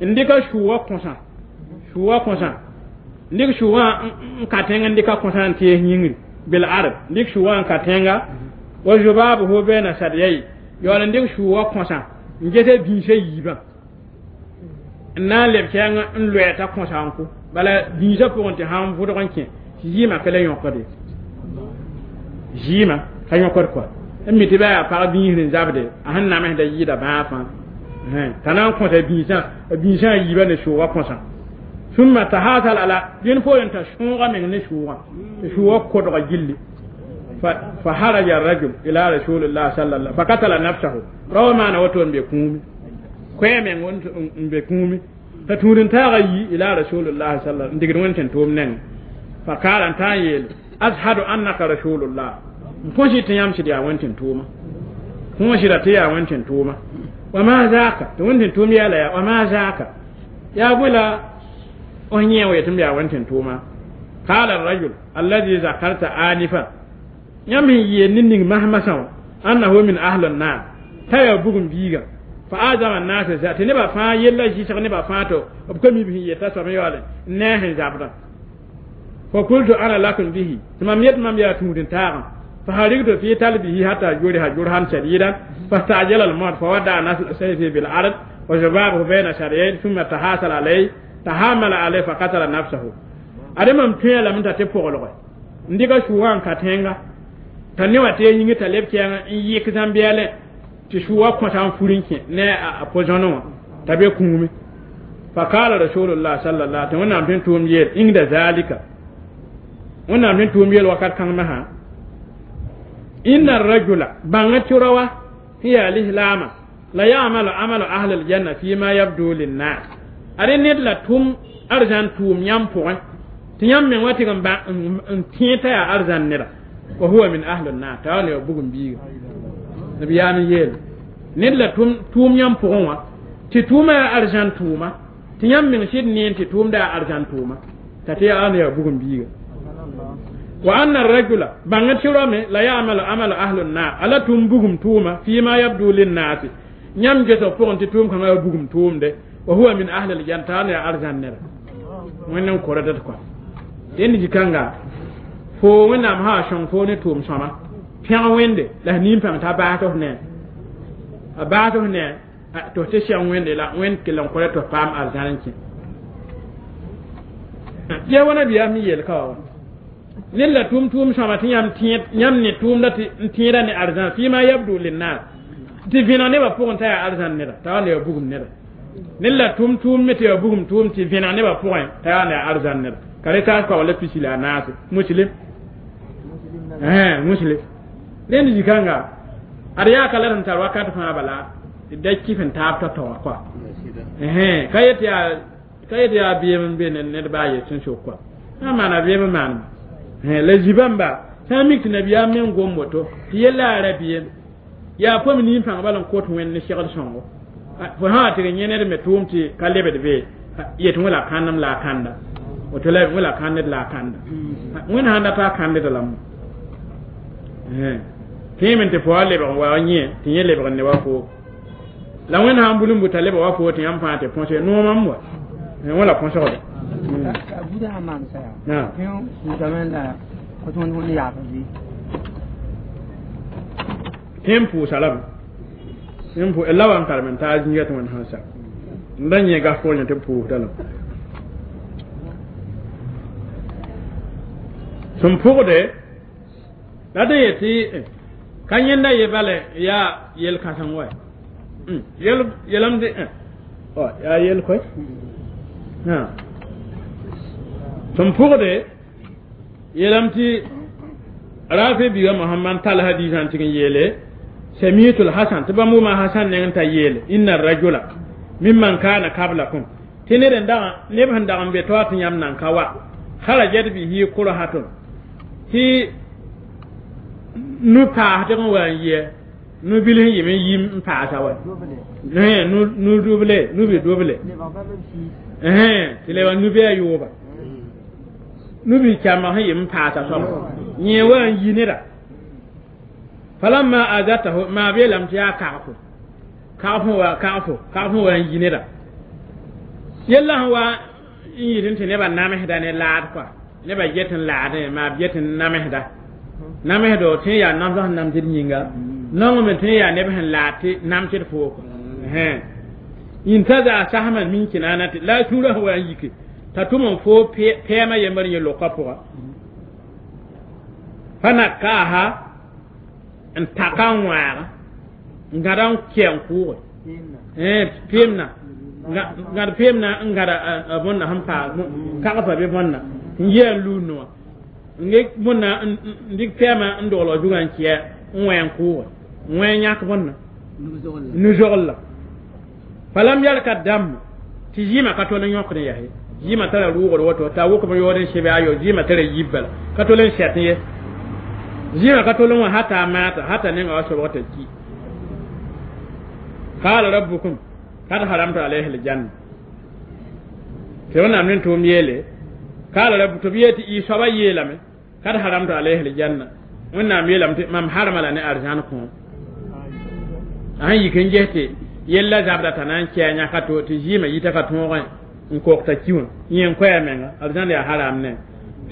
n dɩka sʋʋga kõsã sʋʋga kõsã n dɩk sʋʋgã n ka tẽng n dɩka kõsã n tees yĩngri bil ard n dɩk sʋʋgã n ka tẽnga wa zubabuhu baina sadyai yaool n dɩk sʋʋga kõsã n gese bĩisã yiibã n na n leb kɛɛng n loɛ t'a kõsa n kʋ bala bĩisã pʋgẽ tɩ sãn vʋdg n kẽ tɩ zɩɩmã ka la yõkde zɩɩmã ka yõkd kɔa n mi tɩ ba yaa pag bĩisd n zabde a sẽn namsda yɩɩda bãag fãa t'a na n kõsa bĩisã a bĩisã a yiibã ne sʋʋga kõsã summa tahasal ala dẽn poorẽ t'a sõoga meng ne sʋʋgã tɩ sʋʋga kodga gilli fa haraja rajul ila rasulillah sallallahu fa katala nafsahu rawa maana woto n be kũumi koɛ meng n be kũumi t'a tũud-n-taagã yi ila rasulillah sallallahu n digd wẽnd tẽn tʋʋm neng fa kaala n tã n yeel ashadu annaka rasulullah n kõs tɩ yãmb sɩd yaa wẽnd tẽn tʋʋma kõos sɩda tɩ yaa wẽnd tẽn tʋʋma wa ma zaka tɩ wẽnd tẽn tʋʋm yɛla yaa wa ma zaka yaa bõe la f yẽ wa yetɩ m yaa wẽnd tẽn tʋʋma qala arrajul alladhi zakarta anifa yãmb sẽn yeel ne ning masmasã wã annahu min ahli nnar t'a yaa bugum biiga fa azama nnas tɩ nebã fãa yella zɩsg nebã fãa to b ka mi b sẽn yeta soab yaoole n ne a sẽn zabdã fa qultu ana lakum bihi tɩ mam yet mam yaa tũud-n-taagã فهرقت في تلبه حتى جرح جرحا شديدا فاستعجل الموت فودع نسل سيفه بالأرض وشبابه بين شريين ثم تحاصل عليه تحامل عليه فقتل نفسه أدم تيا لم تتفقلغ ndika shuwa ka tenga ta ne wate yingi ta leb kɛŋa n yɩk zãmbeɛlẽ tɩ sʋʋga kõta n fur n kẽ ne a po-zõnẽ wã t'a be kũume fa qala rasulullah sallallahu tɩ wẽnnaam tɩ n tʋʋm yeel inda zalika wẽnnaam tɩ n tʋʋm yeel wakat kãng masã inna rajula bãnga tɩ rawa sẽn yaa lislaamã la yamalu amalu ahli aljanna fima yabdu linnas ad ned la tʋm arzãn tʋʋm yãmb pʋgẽ tɩ yãmb meng wa tɩg n tẽ t'a yaa arzãn neda wa huwa min ahli nnar t'a wa ne wa bugum biiga nabiyaam n yeele ned la tʋʋm yãmb pʋgẽ wã tɩ tʋʋmã yaa arzãn tʋʋma tɩ yãmb meng sɩd neen tɩ tʋʋmda yaa arzãn tʋʋma t'a tɩ yaa ne yaa bugum biiga wa anna rajula bãnga tɩ rame la yamalu amalu ahlu nnar ala tʋm bugum tʋʋma fima yabdu linnasi yãmb gesg pʋgẽ tɩ tʋʋm kãngã yaa bugum tʋʋmde wa huwa min ahli aljanna t'a ne yaa arzãn neda wẽnd n korda kɔa dẽnd zĩ-kãnga fo wẽnnaam sã sõng fo ne tʋʋm sõma pẽg wẽnde la f nin-pãng t'a baas tɩ f ne a baas tɩ f ne tɩ f tɩ sɛg wẽnde la wẽnd kell n kora tɩ f paam arzãn n kẽ ya wa nabiyaam me yeel ka wa ned la tʋʋm tʋʋm sõma tɩ yãmb ne tʋʋmda tɩ n tẽeda ne arzãn fima yabdu linnas tɩ vẽneg nebã pʋgẽ t'a yaa arzãn neda t'a wa ne yaa bugum neda ned la tʋʋm tʋʋm me tɩ yaa bugum tʋʋm tɩ vẽneg nebã pʋgẽ t'a yaa ne yaa arzãn neda ka re taas kaoor la pisi la a naase muslim muslim rẽnd zĩ-kãnga ad yaa ka la d sẽn tar wakat fãa bala tɩ da kɩf n taab tao-tao wã kɔa ka yet yaa ka yet yaa beem n be ned baa yet sẽn sok kɔa sã n maana beem n maanema la zibãmba sã n mik tɩ nabiyaam meng gom woto tɩ yella yaa rabeem yaa pom nin-pãng bal n kot wẽnd ne segd sõngo fo sã wa tɩg yẽ ned me tʋʋm tɩ ka lebd be yet wẽ la kãndem la a kãnda woto la wẽ la kãnded la a kãnda wẽnd sãn dat a kãndda lame tẽeme tɩ fo wa lebg n wa yẽ tɩ yẽ lebg n ne wa fo la wẽnd sãn bul n buta lebg wa fo tɩ yãmb fãa tɩ põse noomam wa wẽ la põsgde buda sã maan saya tẽ la kõt wẽnd yaab bɩ tẽ n pʋʋsa lame tẽ n pʋ la wa n karem n taa zĩiga tɩ wẽnd sãn sa n da yẽ gas pʋgẽ tɩ b pʋʋsda lame sẽn pʋgde la d yetɩ ka yẽnda ye bale yaa yel-kãseng wa yel yelam tɩ yaa yel koe sẽn pʋgde yeelame tɩ rafe biiga mohamad tall hadiisã n tɩg n yeele samitul hasan tɩ bãmb wʋma hasan neng t'a yeele inna rajula Mimman kana qablakum tɩ ned n dag neb sẽn dag n be taoor tɩ yãmb nan ka wa kharajat bihi kurhatun tɩ nu paasdg n wa n yɩɛ nu bil sẽn yɩm n yim n paasa wa nu duble nu bi duble tɩ le wa nu bɩ a yooba nu bi kyamba sẽn yɩm n paasa soaba yẽ wa n yi neda falamma azatahu maa beelame tɩ yaa kagfo kagf wa kagf wa n yi neda yella sẽn wa n yɩt tɩ nebã namsda ne laad kɔa nebã get n laadẽ maa b get n namsda namsdo tɩ yaa namsg sẽn namsd yĩnga nongme tɩ yaa neb sẽn laad tɩ namsd fooko intaza sahman min kinanati la sũurã sẽn wa n yike t'a tʋm n foo pɛɛmã yembr yẽ lokã pʋga fa nakaaha n taka n wãaga n gãda n kɛ n kʋʋge peemna gãd peemna n gãda a bõnna sẽn paa kagfa bɩ bõnna n yɩ n luudne wã n ges bõnna n dɩk pɛɛmã n doglg zugã n kɛ n wẽ n kʋʋge n wẽ n yãk bõnna nu-zogl-la falam yalka dam tɩ zɩɩmã ka tol n yõkd n yaa ye zɩɩmã tara rʋʋgd woto t'a wʋkm yood n sebe ayo zɩɩmã tara yib bala ka tol n sɛt ye zɩɩmã ka tol n wã hata a maata hata nenga wa sobg t'a ki qala rabbukum kad haramtu alayhi aljanna tɩ wẽnnaam ne tʋʋm yeele qala rabbu tɩ b yee tɩ y soaba yeelame kad haramtu alayhi aljanna wẽnnaam yeelame tɩ mam harma la ne arzãn kõom a sẽn yik n ges tɩ yella zabda t'a na n kɛ a yãka to tɩ zɩɩmã yita ka tõogẽ n kok t'a ki wã yẽ n koɛɛ menga arzãn yaa haram ne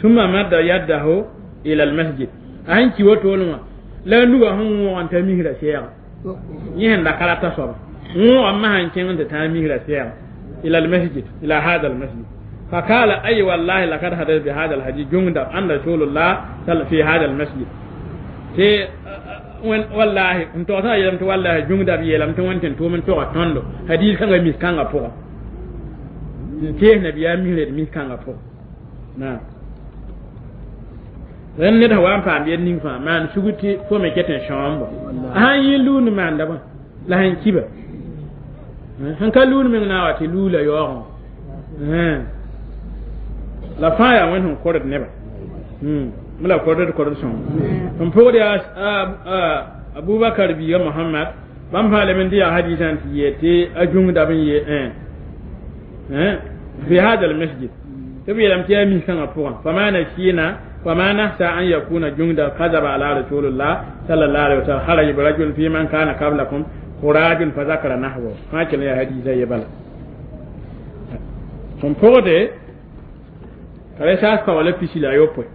summa madda yaddahu ila almasjid a sẽn ki wotone wã la a nuga sẽn wõog n ta misra sɛɛga yẽ sẽn da ka rata soaba wõog n masã n kẽng n tɩ tãag misra sɛɛga ila almasjid ila hada almasjid فقال أي والله لقد حدث بهذا الحديث جندب أن رسول الله صلى في هذا المسجد tɩ wallahi n togsã yeelame tɩ wallahi jũngda b yeelame tɩ wẽnd tɩ n tʋʋm n toga tõndo hadiis kãngã mis-kãngã pʋgã n tees nabiyaam misra d mis-kãngã pʋgã naam rẽnd ned sẽn wa n paam yel ning fãa maan sugr tɩ fo me ket n sõombo a sãn yɩ luund maanda bã la sẽn kiba sẽn ka luund meng na n wa tɩ luula yaoogẽ la fãa yaa wẽnd sẽn kord nebã la kord kord sõng n pʋgd yaa abubakar biiga mohamad bãmb fãa lem n dɩ yaa hadiisã tɩ yee tɩ a jũngda b n ye fi hada almasjid tɩ b yeelame tɩ yaa mis-kãngã pʋgã fama nasina fama nahsa an yakuna jungda kadaba ala rasulillah sallallahu alaihi wasallam kharaja rajul fi man kana qablakum khurajun fa zakara nahwa fãa kell yaa hadiisã ye bala sẽn pʋgde ka re saas kaola pisi la a yopoe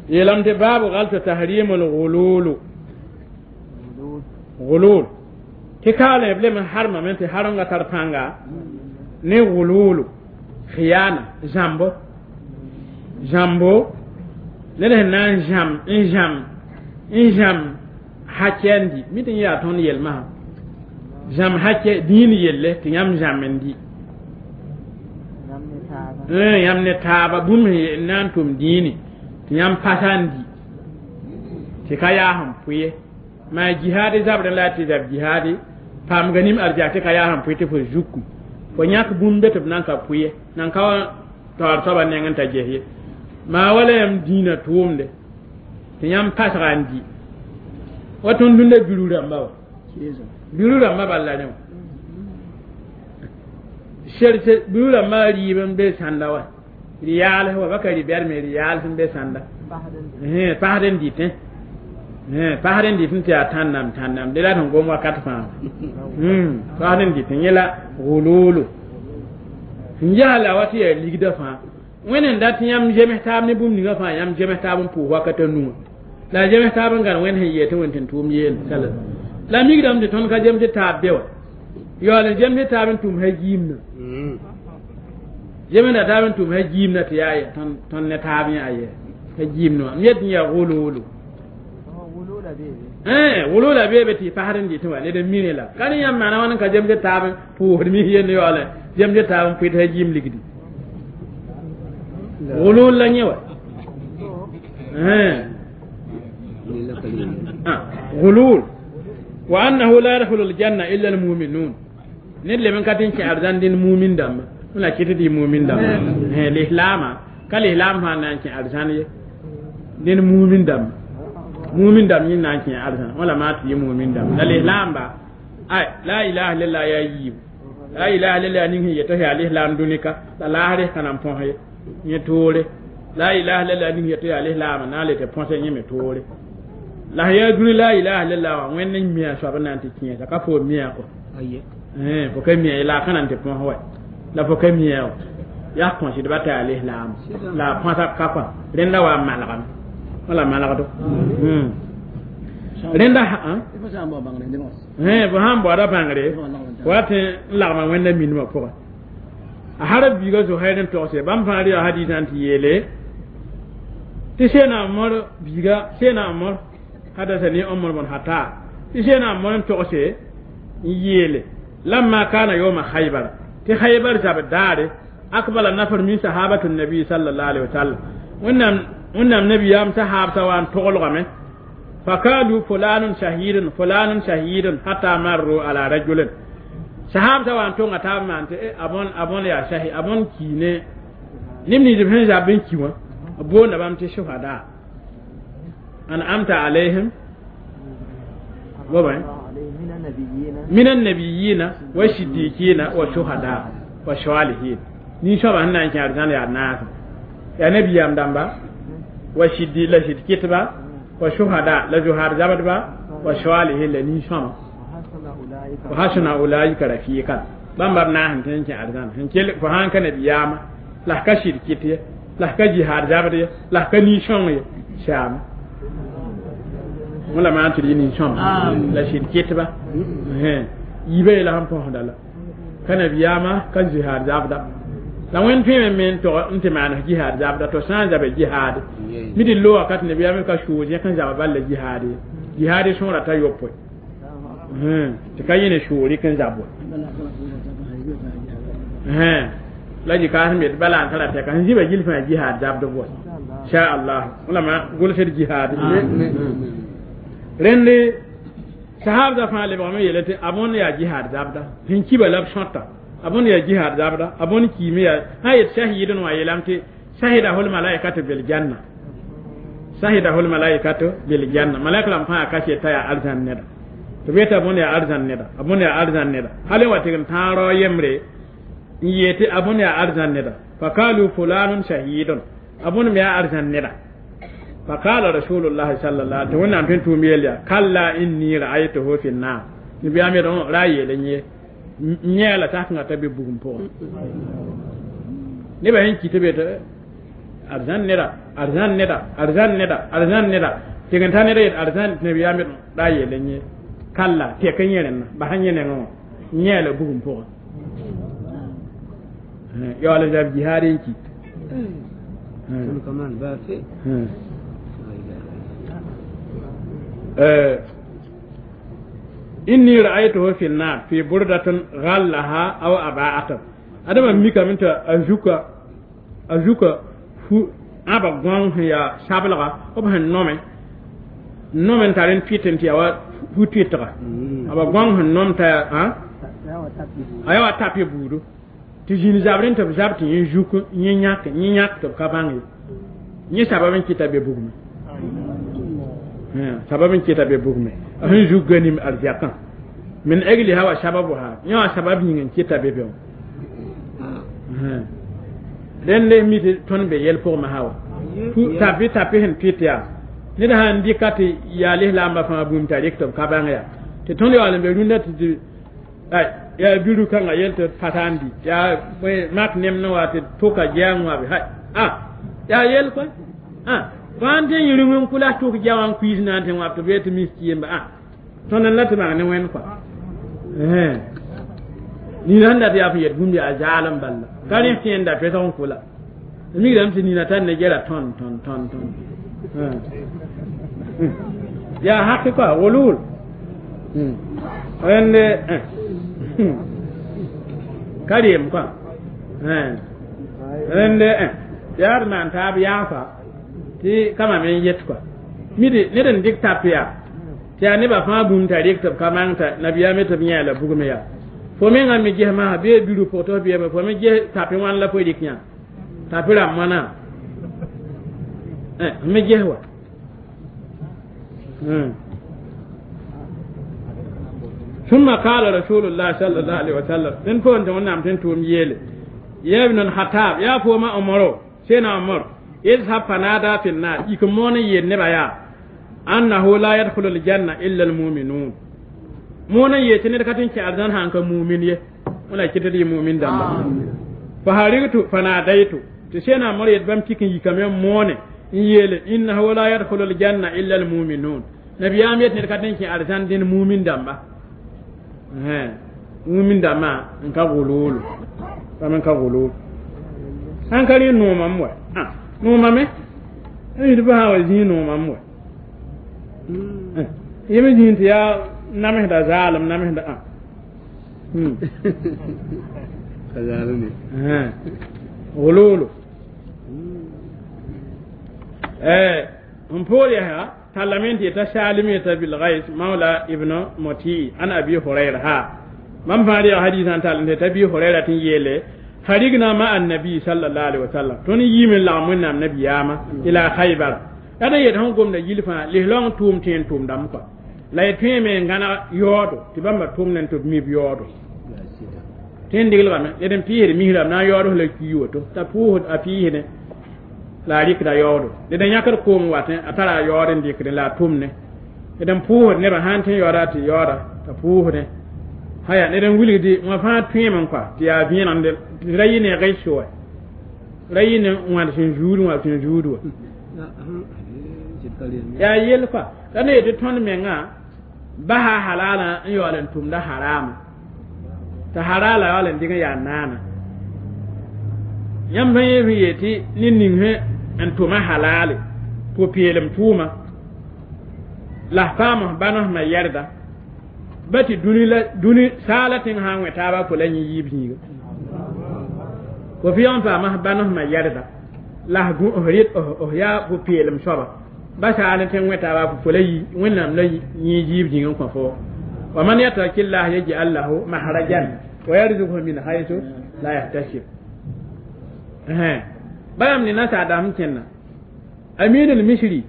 yeelame tɩ baabu galta tahrimul gululu gulul tɩ kaale b lem n harmame tɩ haremga tar pãnga ne gululu khiyana zãmbo zãmbo ned sẽn na n zãm n zãm n zãm hakɛ n di mi tɩ n yaa tõnd yelmasã zãm hakɛ dĩin yelle tɩ yãmb zãm n di yãmb ne taaba bũmb sẽn na n tʋm dĩini tɩ yãmb pasa n di tɩ ka yaa sẽn pʋ ye maa jihaadi zabrẽ la tɩ zab jihaadi paamga nim arjak tɩ ka yaa sẽn pʋ tɩ fo zuku fo yãk bũmb be tɩ b nan ka pʋ ye nan ka taoor soaba neng n ta ges ye maa wala yãmb dĩinã tʋʋmde tɩ yãmb pasga n di wa tõnd tũnda biru rãmba wa biru rãmba bal la rẽ wã sɛrse biru rãmbã rɩɩb n be sãnda wa rɩ-yaals wa baka rɩ-bɛrme rɩ-yaals n be sãnda pasd n dɩtẽ pasd n dɩtẽ tɩ yaa tãnnam tãnnam de la sẽn gom wakat fãa pasd n dɩtẽ yẽ la gululu n yaa wa tɩ yaa ligda fãa wẽnd n dat yãmb zems taab ne bũmb ninga fãa yãmb zems taab n pʋʋs wakat a nuwã la zems taab n gãn wẽnd sẽn yee tɩ wẽnd tɩ n tʋʋm yeel sala la mikdame tɩ tõnd ka zems taab be wa yaool n zems taab n tʋm ha jiimna zemsda taab n tʋm ha jiimna tɩ yaa tõnd ne taab yẽ aye ha jiimna wã m yet n yaa gululu wulula beebe tɩ pasd n dɩtẽ wa ned n mine la ka ne yãmb maana wãn n ka zems taab n pʋʋsd mis yend yaoolẽ zems taab n pʋɩt ha jiim ligdi wulul la yẽ wa غلول وأنه لا يدخل الجنة إلا المؤمنون Ned leb n ka tɩ n kẽ arzãn dĩnd mumin dãmba la kɩt tɩ mumin dãmba lislaama ka lislaam fãa na n kẽ arzãn ye dẽnd mumin dãmba mumin dãmb yẽ na n kẽ arzãn wala maa tɩ yɩ mumin dãmba la lislaamba ay la ilaha illallah yaa yiibu la ilaha illallah ning sẽn yeta yaa lislaam dũnika la laasrẽ ka na n põs ye yẽ toore la ilaha illallah ning yeta yaa lislaama na n le tɩ põse yẽ me toore la sẽn yaa dũni la ilaha illallah wã wẽnd n mia soab n na n tɩ kẽesa ka fo mia kɔ fo ka mia ye la a ka na n tɩ põs wa la fo ka mia wa yaa kõsdba t'a yaa lislaam la a põsa ka kɔa rẽnda wa n malgame wala malgdo rẽnda fo sãn baooda bãngre wa tɩ n lagma wẽnda minimã pʋgẽ a har biiga Zuhair n togse bãmb fãa rɩ hadisã tɩ yeele tɩ Seena Omar biiga Seena Omar hadasani Omar bn Khattab tɩ Seena Omar n togse n yeele lamma kana yawma Khaybar tɩ Khaybar zab daare akbala nafar min sahabatu nabi sallallahu alaihi wasallam wẽnnaam nabiyaam sahaabsa wa n toglgame fakalu fulanun shahidun fulanun shahidun hatta marru ala rajulin sahaabsa wa n tõnga taab maan tɩ a bõn yaa shahi a bõn kiine neb nins b sẽn zab n ki wã b boonda bãmb tɩ shuhada an'amta alayhim min annabiyina wa siddiqina wa shuhada wa salihin nin-soabã sẽn na n kẽ arzãn yaa naasã yaa nabiyaam dãmba wa siddi la sɩd kɩtba wa shuhada la zuhaad zabdba wa salihin la nin-sõma wa hasuna ulaika rafiqan bãmba b naas n tõe n kẽ arzãn sẽn kell fo sãn ka nabiyaamã la f ka sɩd kɩt ye la f ka jihaad zabd ye la f ka nin-sõng ye saama wala maan tɩ d yɩ nin-sõma la sɩd kɩtba yiibã yeela sẽn põsda la ka nabiyaamã ka jihaad zabda la wẽnd tõeme me n tog n tɩ maan jihaad zabda to sã n zaba jihaad mi tɩ lo wakat nabiyaamã ka soos yẽ n zaba bal la jihaad ye jihaad sõora t'a yopoe tɩ ka yẽ ne soor n zab wa la jikaas me bala n tara tɛka sẽn zĩba gill fãa jihaad zabdb wa sha Allah wala ma gʋlsd jihaad rẽnd sahabda fãa lebgame yeele tɩ a bõnd yaa jihaad zabda sẽn kiba la b sõta a bõnd yaa jihaad zabda a bõnd kiime yaa sã yet shahidn wã yeelame tɩ shahidahul malaikatu bil janna shahidahul malaikatu bil janna malaika rãmb fãa ka t'a yaa arzãn neda tɩ b yeta a bõnd yaa arzãn neda a bõnd yaa arzãn neda hal n wa tɩg n tãag rao yembre n yee tɩ a bõnd yaa arzãn neda fakalu fulanun shahidun a bõnd me yaa arzãn neda فقال رسول الله صلى الله عليه وسلم tõe n tʋʋm yel yaa kalla inni ra'aytuhu fi nnar nabiyaam yet ra yeele yẽ yẽ la sakẽnga t'a be bugum pʋgẽ nebã sẽn ki tɩ be tɩ arzãn neda arzãn neda arzãn neda arzãn neda tɩg n ta neda yet arzãn nabiyaam yet ra yeele yẽ kalla tɛk n yẽ rẽnna bas n yẽ nengẽ wã yẽ la bugum pʋgẽ yaool n zab jihaad n ki inni ra'aytuhu fi an-nar fi burdatin ghallaha aw aba'atan adama mikame tɩ a zuka fu ãba gõng sẽn yaa sablga b sẽn nome n tar n tɩt n tɩ yaa wa fu tɩtga aba gõng sẽn nom t'a a yaa wa tapɩ buudu tɩ zĩnd zabrẽ tɩ b zab tɩ yẽ zuk yẽ yãk tɩ b ka bãng ye yẽ sabab n kɩta be bugme sabab n kɩta be bugme a sẽn zuk ganim arzɛkã min ajliha wa sababuha yẽ wã sabab yĩng n kɩta be be wã rẽnd mi tɩ tõnd be yɛl pʋgẽ masã wa tapɩ tapɩ sẽn tɩt yaa ned sãn dɩka tɩ yaa lislaambã fãa bũmb t'a rɩk tɩ b ka bãng yaa tɩ tõnd yaool n be rũndã tɩ yaa biru kãngã yel tɩ pata n di yaa mak nemd wa tɩ tʋka gɛɛng wã be hay a yaa yel koe a fãa tɩ yẽ rũng n kʋla tʋk gɛ wã n kuiis na n tɩ wãb tɩ b tɩ mis yemba a tõnd n la tɩ maan ne wẽnd kɔa nina sẽn dat yaa fõ yet bũmb yaa zaalem balla ka rẽ tɩ yẽnda pesg n kʋla migrame tɩ nina tar ne gɛra tõn tõn tõn tõn yaa haki kɔa wulul rẽnd ka reem kɔa rẽnd yaa d maan taab yaafa tɩ kama me n yet kɔa midi ned n dɩk tap yaa tɩ yaa nebã fãa bũmb t'a rɩk tɩ b ka mang t'a nabiyaam tɩ b yẽ la bugme yaa Fo menga mi ges masã bee biru pʋg tɩ f beeme fo me ges tapẽ wãn la fo rɩk yã tapẽ rãmb wãna me ges wa ثم قال رسول الله صلى الله عليه وسلم إن كنت ونعم تنتم يلي يا ابن الخطاب يا فوما عمر سينا عمر اذهب فنادى في النار يكمون ينبا يا أنه لا يدخل الجنة إلا المؤمنون مون يتني كاتين كي أرزان هانك مؤمن يه ولا كتدي مؤمن دم فهرقت فناديت تسينا عمر يتبم كيكن يكمل مون يلي إنه لا يدخل الجنة إلا المؤمنون نبي أم يتني كاتين كي أرزان دين مؤمن دم mumin dama nka gululu kama nka gululu hankali numa mwe numa me ni ba hawa zi numa mwe yemi zi ti ya nameh da zalim nameh da zalimi gululu mpoli ha talamenti ta shalimi ta bil ghais maula ibnu muti an abi hurairah ha man faari hadisan talante ta bi hurairah tin yele harigna ma annabi sallallahu alaihi wasallam ton yimin la mun nam nabiyama ila khaybar ada yet hon gomna yilfa lihlong tum tin tum dam ko la yetme me ngana yodo ti bamba tum nen to mi yodo tin digl ba me eden piire mihram na yodo la kiyoto ta puhud a piire la rikda yoodo eden yãkd koom watẽ a tara a yaood n dɩkdẽ la a tʋmne d n pʋʋsd nebã sãn tɩ yaooda tɩ yaooda t'a pʋʋsdẽ haya ned n wilgdi wã fãa tõeeme kɔa tɩ yaa vẽenemde tɩ ra yɩ ne rɩs wa ra yɩ ne wãd sẽn zuud wã sẽn zuud wa yaa yell kɔa la ne yetɩ tõnd mengã basa halaalã n yaool n tʋmda haraama t'a haraala yaool n dɩg n yaa naana yãmb sẽn yẽ yetɩ ne ning n tʋma halale pʋ-peelem tʋʋma la f paam f bãn f ma yɛrda ba tɩ dũni la dũni saala tẽng sã n wẽ taaba fo la yẽ yiib zĩiga fo f yã n paam f bãn f ma yɛrda la f rɩt f yaa pʋ-peelem soaba ba saal tẽng wẽ taaba fo la wẽnnaam la yẽ yiib zĩig n kõ fo wa man yattaqillah yaj'al lahu mahrajan wa yarzuqhu min haythu la yahtasib bayam ni nasa da hamkenna amin al-misri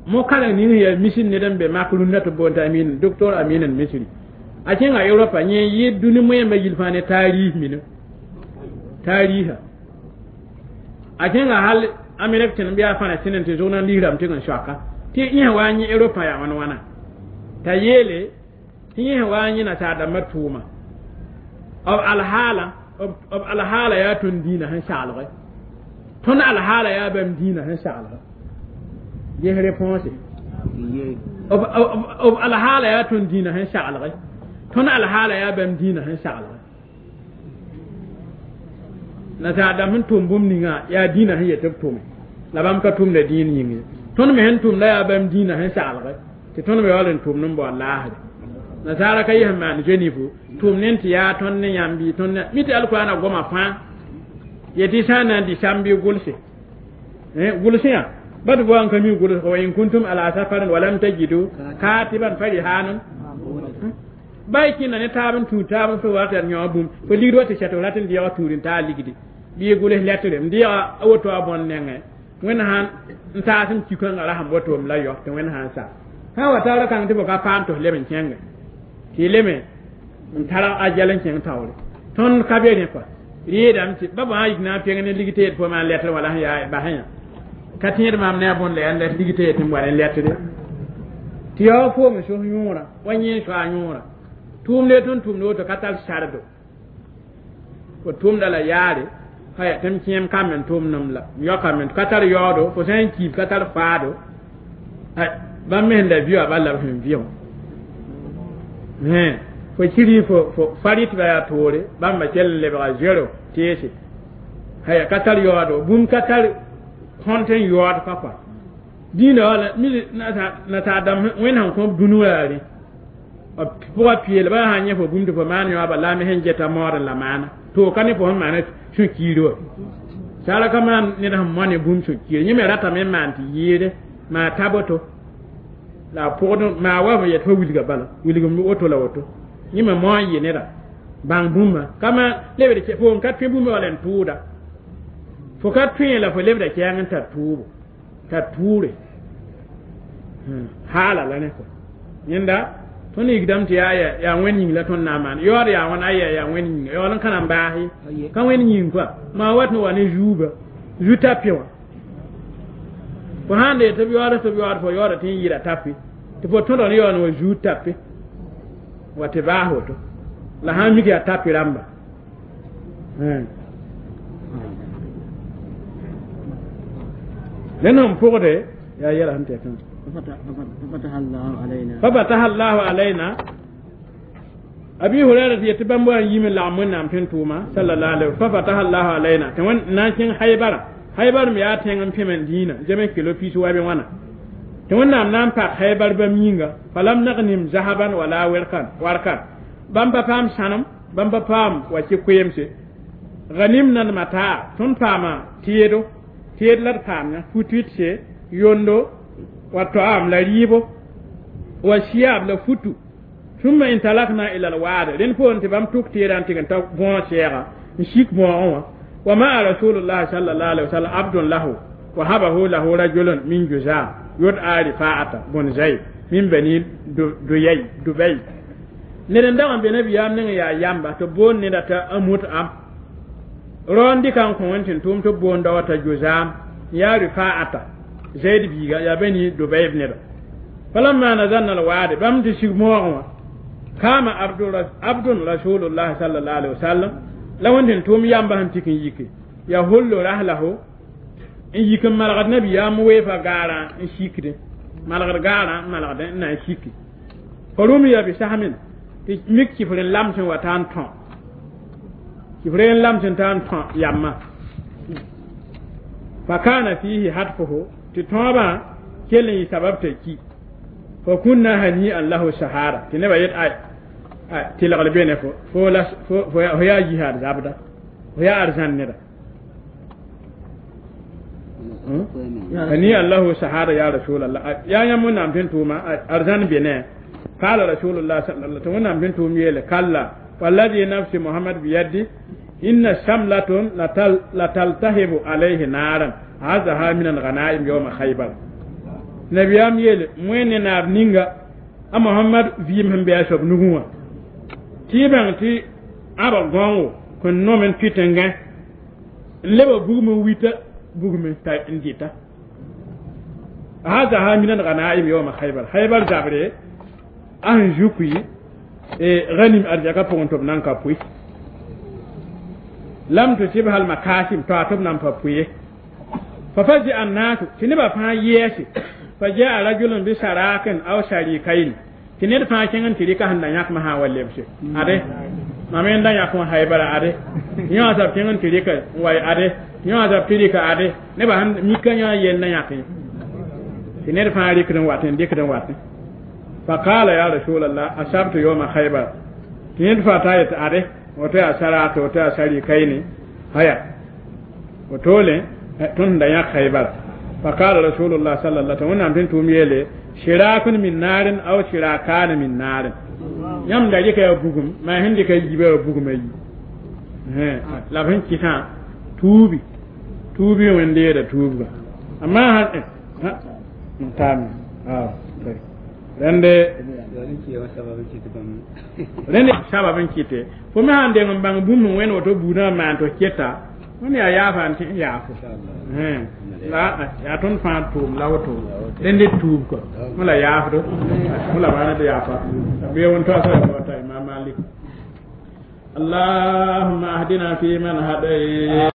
mo kala ni ya misin ne dan be makulun na to bonta amin docteur amin al-misri a cin a europa nye yi duni mo yamba yilfane tarihi min tariha a cin a hal amerika tin biya fana tinin te zona liram tin shaka ti yin wa nyi europa ya wana wana ta yele ti yin wa nyi na ta da matuma ab alhala b alhaala yaa tõnd dĩinã sẽn saglge tõnd alhaala yaa bãmb dĩinã sẽn saglge ges réponse b alhaala yaa tõnd dĩinã sẽn saglge tõnd alhaala yaa bãmb dĩinã sẽn saglge nasaar dãmb sẽn tʋm bũmb ninga yaa dĩinã sẽn yet b tʋme la bãmb ka tʋmda dĩin yĩng ye tõnd me sẽn tʋmda yaa bãmb dĩinã sẽn saglge tɩ tõnd me yaool n tʋmd n bao laasre nasaara ka yẽsẽn maan zenifu tʋm ne tɩ yaa tõnd ne yãmb bɩ tõnd mi tɩ alkurana goma fãa yetɩ sã n na n dɩ sãmb bɩ gʋlse gʋlsẽ yã ba tɩ boa n ka mi gʋls wa in kuntum ala safarin wa lam tajidu katiban farihanun ba y kẽnda ne taab n tũud taab n fo wa tɩ yaa yõ bũmb fo ligd wa tɩ sɛt f rat n deega tũud n taa ligdi bɩ gʋls lɛtre n deega a woto a bõn nengẽ wẽnd sãn n taas n kikãngã ra sẽn boto m la yao tɩ wẽnd sãn sa sã wa taoora kãng tɩ fo ka paam tɩ f leb n kẽnge tɩ leme n tara a jɛl n kẽng taoore tõnd ka be rẽ kɔa rɩɩdame tɩ ba bã yik na n peng ne ligte yet fo maan lɛtr wala sẽn yaa basẽ yã ka tẽed maam ne a bõn la yaa n ligte yet n wa ne lɛtre tɩ yaa foom sos yõorã wa yẽ soa yõorã tʋʋmde tõnd tʋmd woto ka tar sardo fo tʋmda la yaare haya tɩ m kẽem kamb n tʋmdem la m yaokame ka tar yaoodo fo sã n kiib ka tar faado bãmb me sẽn la vɩ wã bal la b sẽn vɩ wã fo kiri fo farit ba yaa toore bãmba kell n lebga zero teese haya ka tar yaoodo bũmb ka tar kõnt n yaood pa kɔa dĩinã wala nasaar dãmb wẽnd sẽn kõb dũni wa yaa rẽ b pʋga peel ba sã n yẽ fo bũmb tɩ fo maan yõaba la a me sẽn geta maood la maana to ka ne fo sẽn maana sũ-kiir wa saara ka maan ned sẽn moa ne bũmb sũ-kiir yẽ me ratame n maan tɩ yɩɩde maa ta boto la a pʋgd maa wa yet fo wilga bala wilg woto la woto Yẽme moa n yɩ neda bãng bũmba kama lebd fo n ka tõe bũmba wala n tʋʋda fo ka tõe la fo lebda kɛɛng n tar tʋʋbo tar tʋʋre haala la ne kɔ yẽnda tõnd yikdame tɩ yaa yaa wẽnd yĩng la tõnd na n maan yaood yaa wãn aya yaa wẽnd yĩnga yaool n ka na n baase ka wẽnd yĩng koa maa wat n wa ne zuuba zu-tape wã fo sãn dee tɩ b yaood tɩ b yaood fo yaooda tɩ n yɩɩda tape tɩ fo tõdg ne yaool n wa zuud tape wa tɩ baas woto la sãn mik yaa tape rãmba rẽnd sẽn pʋgde yaa yɛla sẽn tɩ yaa ففتح الله علينا أبي هريرة يتبع يم لعمن نام تنتوما صلى الله عليه وسلم ففتح الله علينا تون نانشين خيبر خيبر ميا تين بيمن دينا جمع كيلو بيس وابي وانا تون نام نام با خيبر بمينغا فلم نغنم ذهبا ولا ورقا ورقا بام بام سانم بام بام واتي كويمسي غنمنا المتاع تون فاما تيدو تيد لا فامنا فوتيتشي يوندو والطعام لا ريبو والشياب لا فتو ثم انطلقنا الى الواد لن فون تبام توك تيران تيغن تا بون شيغا نشيك بون وما رسول الله صلى الله عليه وسلم عبد له وهبه له رجل من جزاء يدعى رفاعة بن زيد من بني ديي دبي ندن دام بنبي يام نغ يا يامبا تو بون ندتا اموت ام روندي كان كونتين توم تو بون دوتا جزام يا رفاعة زيد بيغا يا بني دبي بن فلما نزلنا الوادي بام تشيك موغوا كما عبد رسول الله صلى الله عليه وسلم لو انت توم يامبا هنتكن يكي يهل رحله ان يكن ملغد نبي يا مويفا غارا ان شيكده ملغد غارا ملغد نا شيكي فرمي بسهم ميك كفرن لامسن وتان تون كفرن لامسن تان تون ياما فكان فيه حتفه تتوبا كلن سبب تكي فكنا هنيئا له شهادة تنبا يت اي تلغل بينه فو فو هي جهاد زابدا هي ارزان ندا هنيئا له شهادة يا رسول الله يا يمون نام تنتوما ارزان بينه قال رسول الله صلى الله عليه وسلم بنتوم يله كلا والذي نفس محمد بيدي إن شملة لتلتهب عليه نارا هذا من الغنائم يوم خيبر نبيام يل وين نار نينغا محمد فيم هم بيشوب نغوا تيبان تي ابا غونو كن نومن بيتنغا لبا بوغم ويتا بوغم تا انديتا هذا من الغنائم يوم خيبر خيبر جابري ان جوكي غنيم ارجاكا بونتوب نانكا بوي لم تصبها المكاسب تعتب نانكا بوي ففزع الناس تنبا فا يسي فجاء رجل بشراك او شريكين تنير فا كينن تريكا هندا ياك ما ولبسي ade mamen da yak ma haybara ade yo azab kingen tirika way ade yo azab tirika ade ne ba han mikanya yen na yak تنير فا ريكدن واتن ديكدن واتن فقال يا رسول الله اصبت يوم خيبر تنير فا تايت ade وتا شراك وتا شريكين هيا وتولي تون دا ياك خيبر فقال رسول الله صلى الله عليه وسلم تنتم يلي شراك من نار او شراكان من نار يام دا يكا بوغم ما هندي كاي جيبا بوغم اي لا فين كيتا توبي توبي وندي دا توبا اما ها تام rende rende sababin kite fo me hande ngam bang bum wen woto buna man to keta woni a yaafa n tɩ n yaafo la yaa tõnd fãa tʋʋm la woto rẽnd d tuub kɔ fõ la yaafdo fõ la maana d yaafa bɩ wẽn toasa ta imam Malik اللهم اهدنا فيمن هديت.